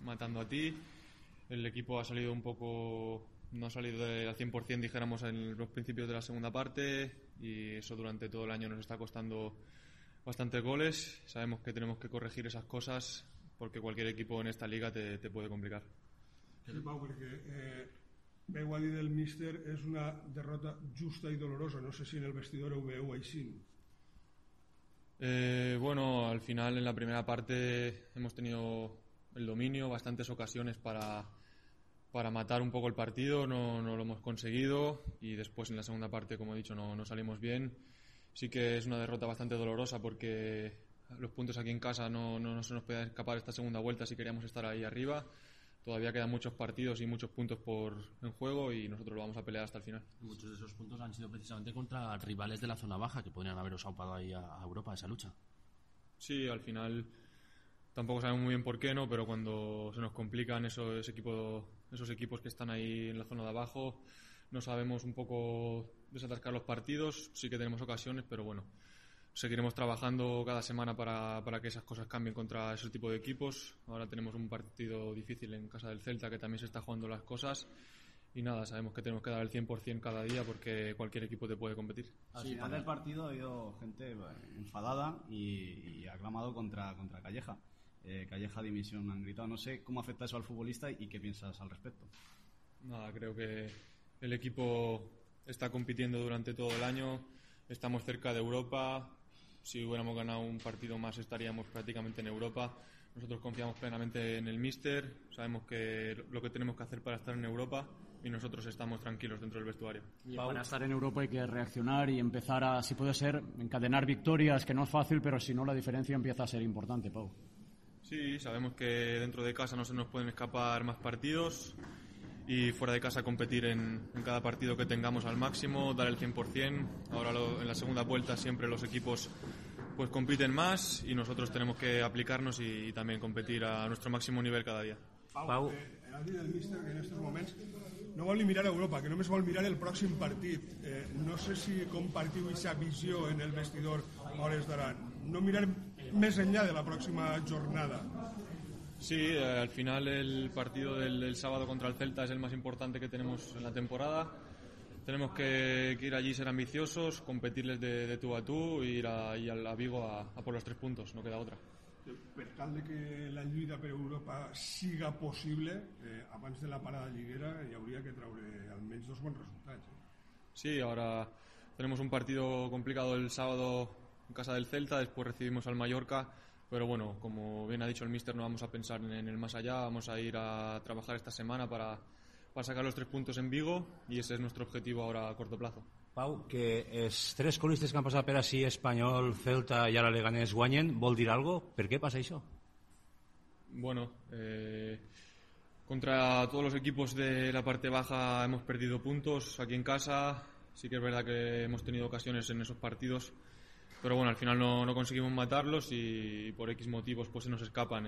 matando a ti. El equipo ha salido no ha salido al 100%, dijéramos, en los principios de la segunda parte, y eso durante todo el año nos está costando bastantes goles. Sabemos que tenemos que corregir esas cosas, porque cualquier equipo en esta liga te puede complicar. Sí, Pau, perquè veu a dir del míster, és una derrota justa i dolorosa. No sé si en el vestidor ho veu així. Bueno, al final en la primera parte hemos tenido el dominio, bastantes ocasiones para matar un poco el partido, no lo hemos conseguido, y después en la segunda parte, como he dicho, no salimos bien. Sí que es una derrota bastante dolorosa, porque los puntos aquí en casa no se nos puede escapar esta segunda vuelta si queríamos estar ahí arriba. Todavía quedan muchos partidos y muchos puntos en juego, y nosotros lo vamos a pelear hasta el final. Muchos de esos puntos han sido precisamente contra rivales de la zona baja, que podrían haberos aupado ahí a Europa, esa lucha. Sí, al final tampoco sabemos muy bien por qué, ¿no? Pero cuando se nos complican esos equipos que están ahí en la zona de abajo, no sabemos un poco desatascar los partidos. Sí que tenemos ocasiones, pero bueno, seguiremos trabajando cada semana para que esas cosas cambien contra ese tipo de equipos. Ahora tenemos un partido difícil en casa del Celta, que también se está jugando las cosas, y nada, sabemos que tenemos que dar el 100% cada día, porque cualquier equipo te puede competir. Al final del partido ha habido gente enfadada y aclamado contra Calleja. Calleja dimisión han gritado. No sé cómo afecta eso al futbolista y qué piensas al respecto. Nada, creo que el equipo está compitiendo durante todo el año, estamos cerca de Europa. Si hubiéramos ganado un partido más estaríamos prácticamente en Europa. Nosotros confiamos plenamente en el míster, sabemos lo que tenemos que hacer para estar en Europa y nosotros estamos tranquilos dentro del vestuario. Y para estar en Europa hay que reaccionar y empezar a, si puede ser, encadenar victorias, que no es fácil, pero si no la diferencia empieza a ser importante, Pau. Sí, sabemos que dentro de casa no se nos pueden escapar más partidos y fuera de casa competir en cada partido que tengamos al máximo, dar el 100%. Ahora en la segunda vuelta siempre los equipos pues compiten más y nosotros tenemos que aplicarnos y también competir a nuestro máximo nivel cada dia. Pau, ha dit el míster que en aquests moments no vol ni mirar a Europa, que només vol mirar el pròxim partit. No sé si compartiu aquesta visió en el vestidor a hores d'ara. No mirar més enllà de la próxima jornada. Sí, al final el partido del sábado contra el Celta es el más importante que tenemos en la temporada. Tenemos que ir allí, ser ambiciosos, competirles de tú a tú e ir a Vigo a por los 3 puntos, no queda otra. Per tal de que la lluita per Europa siga possible, abans de la parada lliguera hi hauria que treure almenys 2 bons resultats. Sí, ahora tenemos un partido complicado el sábado en casa del Celta, después recibimos al Mallorca, pero bueno, como bien ha dicho el míster, no vamos a pensar en el más allá, vamos a ir a trabajar esta semana para sacar los 3 puntos en Vigo y ese es nuestro objetivo ahora a corto plazo. Pau, que els 3 colistes que han passat per així, Espanyol, Celta i ara Leganés guanyen, vol dir algo? Per què passa això? Bueno, contra todos los equipos de la parte baja hemos perdido puntos aquí en casa. Sí que es verdad que hemos tenido ocasiones en esos partidos, pero bueno, al final no conseguimos matarlos y por X motivos pues se nos escapan.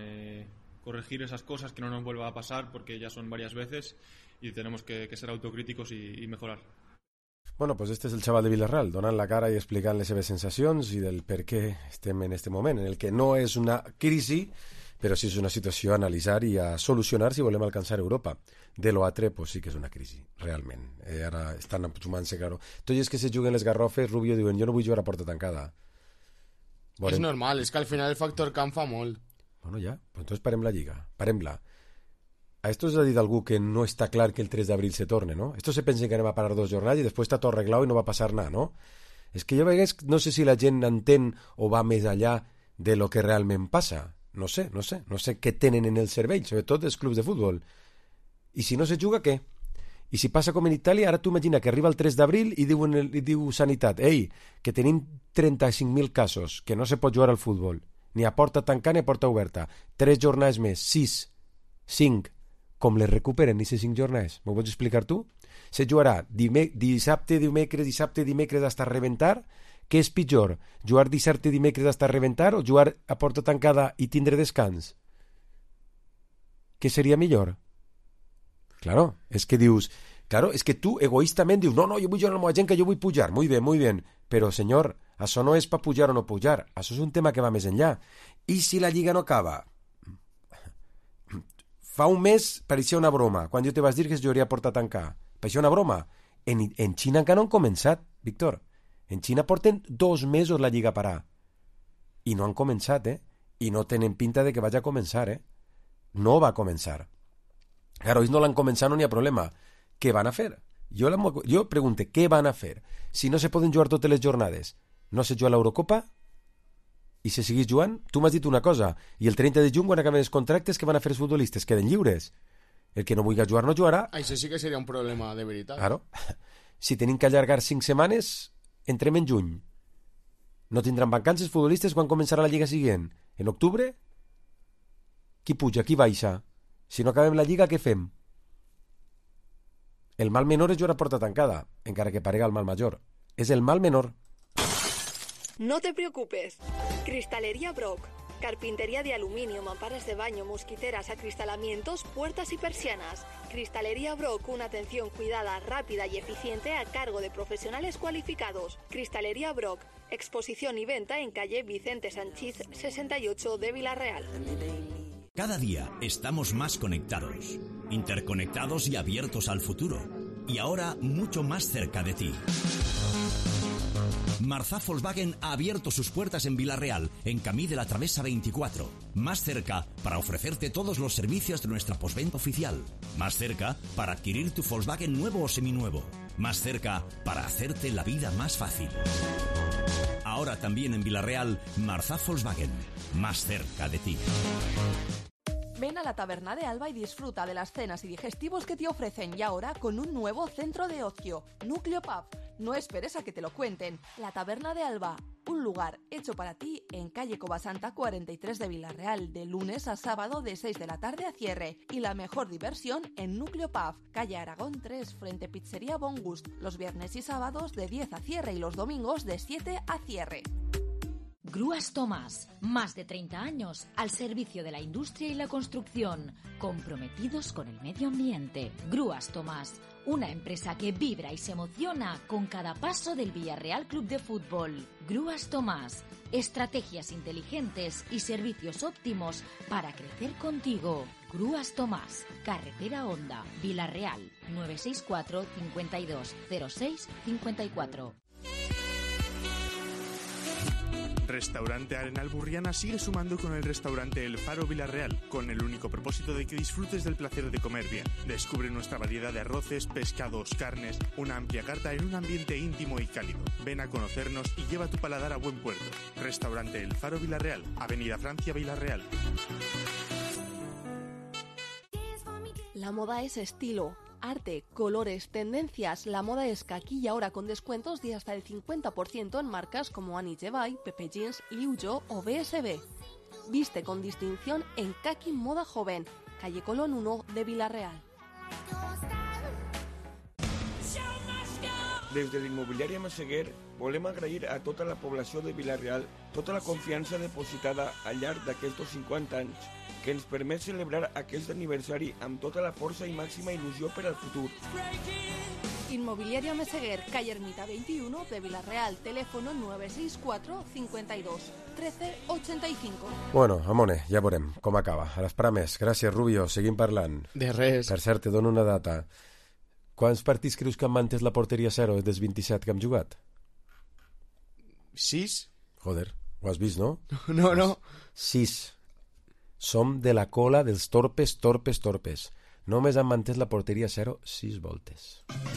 Corregir esas cosas, que no nos vuelva a pasar porque ya son varias veces y tenemos que ser autocríticos y mejorar. Bueno, pues este és el xaval de Villarreal, donant la cara i explicant les seves sensacions i del per què estem en este moment, en el que no és una crisi, però sí és una situació a analitzar i a solucionar si volem alcançar Europa. De lo altre, pues sí que és una crisi, realment. Ara estan sumant-se, claro. Tot i és que se juguen les garrofes, Rubio diuen, jo no vull jugar a porta tancada. És normal, és que al final el factor camp fa molt. Bueno, ja, pues entonces parem la lliga, parem-la. A esto se ha dit algú que no està clar que el 3 d'abril se torne, ¿no? Esto se pensa que anem a parar 2 jornades i després està tot arreglat i no va passar nada, ¿no? És que jo a vegades no sé si la gent entén o va més allà de lo que realment passa. No sé què tenen en el cervell, sobretot els clubs de futbol. I si no se juga, què? I si passa com en Itàlia, ara tu imagina que arriba el 3 d'abril i diu Sanitat, ei, que tenim 35.000 casos, que no se pot jugar al futbol, ni a porta tancada ni a porta oberta. 3 jornades més, 6, 5, com les recuperen aquestes 5 jornades? M'ho pots explicar tu? Se jugarà dissabte, dimecres hasta reventar? Què és pitjor? Jugar dissabte, dimecres hasta reventar o jugar a porta tancada i tindre descans? Què seria millor? Claro, és que dius... Claro, és que tu egoístament dius no, jo vull jugar amb la gent que jo vull pujar, muy bien, però senyor, això no és per pujar o no pujar, això és un tema que va més enllà. I si la lliga no acaba? Fa un mes pareixia una broma, quan jo te vas dir que es jugaria a porta tancada. Pareixia una broma. En Xina encara no han començat, Víctor. En Xina porten 2 mesos la lliga a parar. I no han començat, I no tenen pinta de que vagi a començar, No va a començar. Claro, ells no l'han començat, no n'hi ha problema. Què van a fer? Jo pregunto, què van a fer? Si no se poden jugar totes les jornades, no se juga l'Eurocopa? I si seguís jugant, tu m'has dit una cosa, i el 30 de juny, quan acaben els contractes, que van a fer els futbolistes? Queden lliures. El que no vulgui jugar no jugarà. Això sí que seria un problema de veritat. Claro. Si tenim que allargar 5 setmanes, entrem en juny. No tindran vacances futbolistes quan començarà la lliga següent? En octubre? Qui puja, qui baixa? Si no acabem la lliga, què fem? El mal menor és jugar a porta tancada, encara que parega el mal major. És el mal menor. No te preocupes. Cristalería Brock. Carpintería de aluminio, mamparas de baño, mosquiteras, acristalamientos, puertas y persianas. Cristalería Brock, una atención cuidada, rápida y eficiente a cargo de profesionales cualificados. Cristalería Brock, exposición y venta en calle Vicente Sanchís 68 de Villarreal. Cada día estamos más conectados, interconectados y abiertos al futuro. Y ahora mucho más cerca de ti. Marzá Volkswagen ha abierto sus puertas en Villarreal, en Camí de la Travesa 24. Más cerca para ofrecerte todos los servicios de nuestra postventa oficial. Más cerca para adquirir tu Volkswagen nuevo o seminuevo. Más cerca para hacerte la vida más fácil. Ahora también en Villarreal, Marzá Volkswagen. Más cerca de ti. Ven a la Taberna de Alba y disfruta de las cenas y digestivos que te ofrecen, y ahora con un nuevo centro de ocio, Núcleo Pub. No esperes a que te lo cuenten. La Taberna de Alba, un lugar hecho para ti en calle Covasanta 43 de Villarreal, de lunes a sábado de 6 de la tarde a cierre. Y la mejor diversión en Núcleo Pub, calle Aragón 3, frente Pizzería Bon Gust, los viernes y sábados de 10 a cierre y los domingos de 7 a cierre. Grúas Tomás, más de 30 años al servicio de la industria y la construcción, comprometidos con el medio ambiente. Grúas Tomás, una empresa que vibra y se emociona con cada paso del Villarreal Club de Fútbol. Grúas Tomás, estrategias inteligentes y servicios óptimos para crecer contigo. Grúas Tomás, carretera Honda, Villarreal, 964 52 06 54. Restaurante Arenal Burriana sigue sumando con el restaurante El Faro Villarreal, con el único propósito de que disfrutes del placer de comer bien. Descubre nuestra variedad de arroces, pescados, carnes, una amplia carta en un ambiente íntimo y cálido. Ven a conocernos y lleva tu paladar a buen puerto. Restaurante El Faro Villarreal, Avenida Francia Villarreal. La moda es estilo, arte, colores, tendencias. La moda es Kaki y ahora con descuentos de hasta el 50% en marcas como Annie Jevay, Pepe Jeans, Liu Yo o BSB. Viste con distinción en Kaki Moda Joven, calle Colón 1 de Villarreal. Des de l'immobiliària Massaguer volem agrair a tota la població de Villarreal tota la confiança depositada al llarg d'aquests 50 anys que ens permet celebrar aquest aniversari amb tota la força i màxima il·lusió per al futur. Inmobiliaria Meseguer, calle Ermita 21 de Villarreal, teléfono 964 52 13 85. Bueno, Amone, ja veurem com acaba. A l'esperar més. Gràcies, Rubio. Seguim parlant. De res. Per cert, te dono una data. Quants partits creus que han mantès la porteria zero des 27 que hem jugat? 6? Joder, ho has vist, no? No. 6. Som de la cola dels torpes. Només han mantès la porteria zero 6 voltes.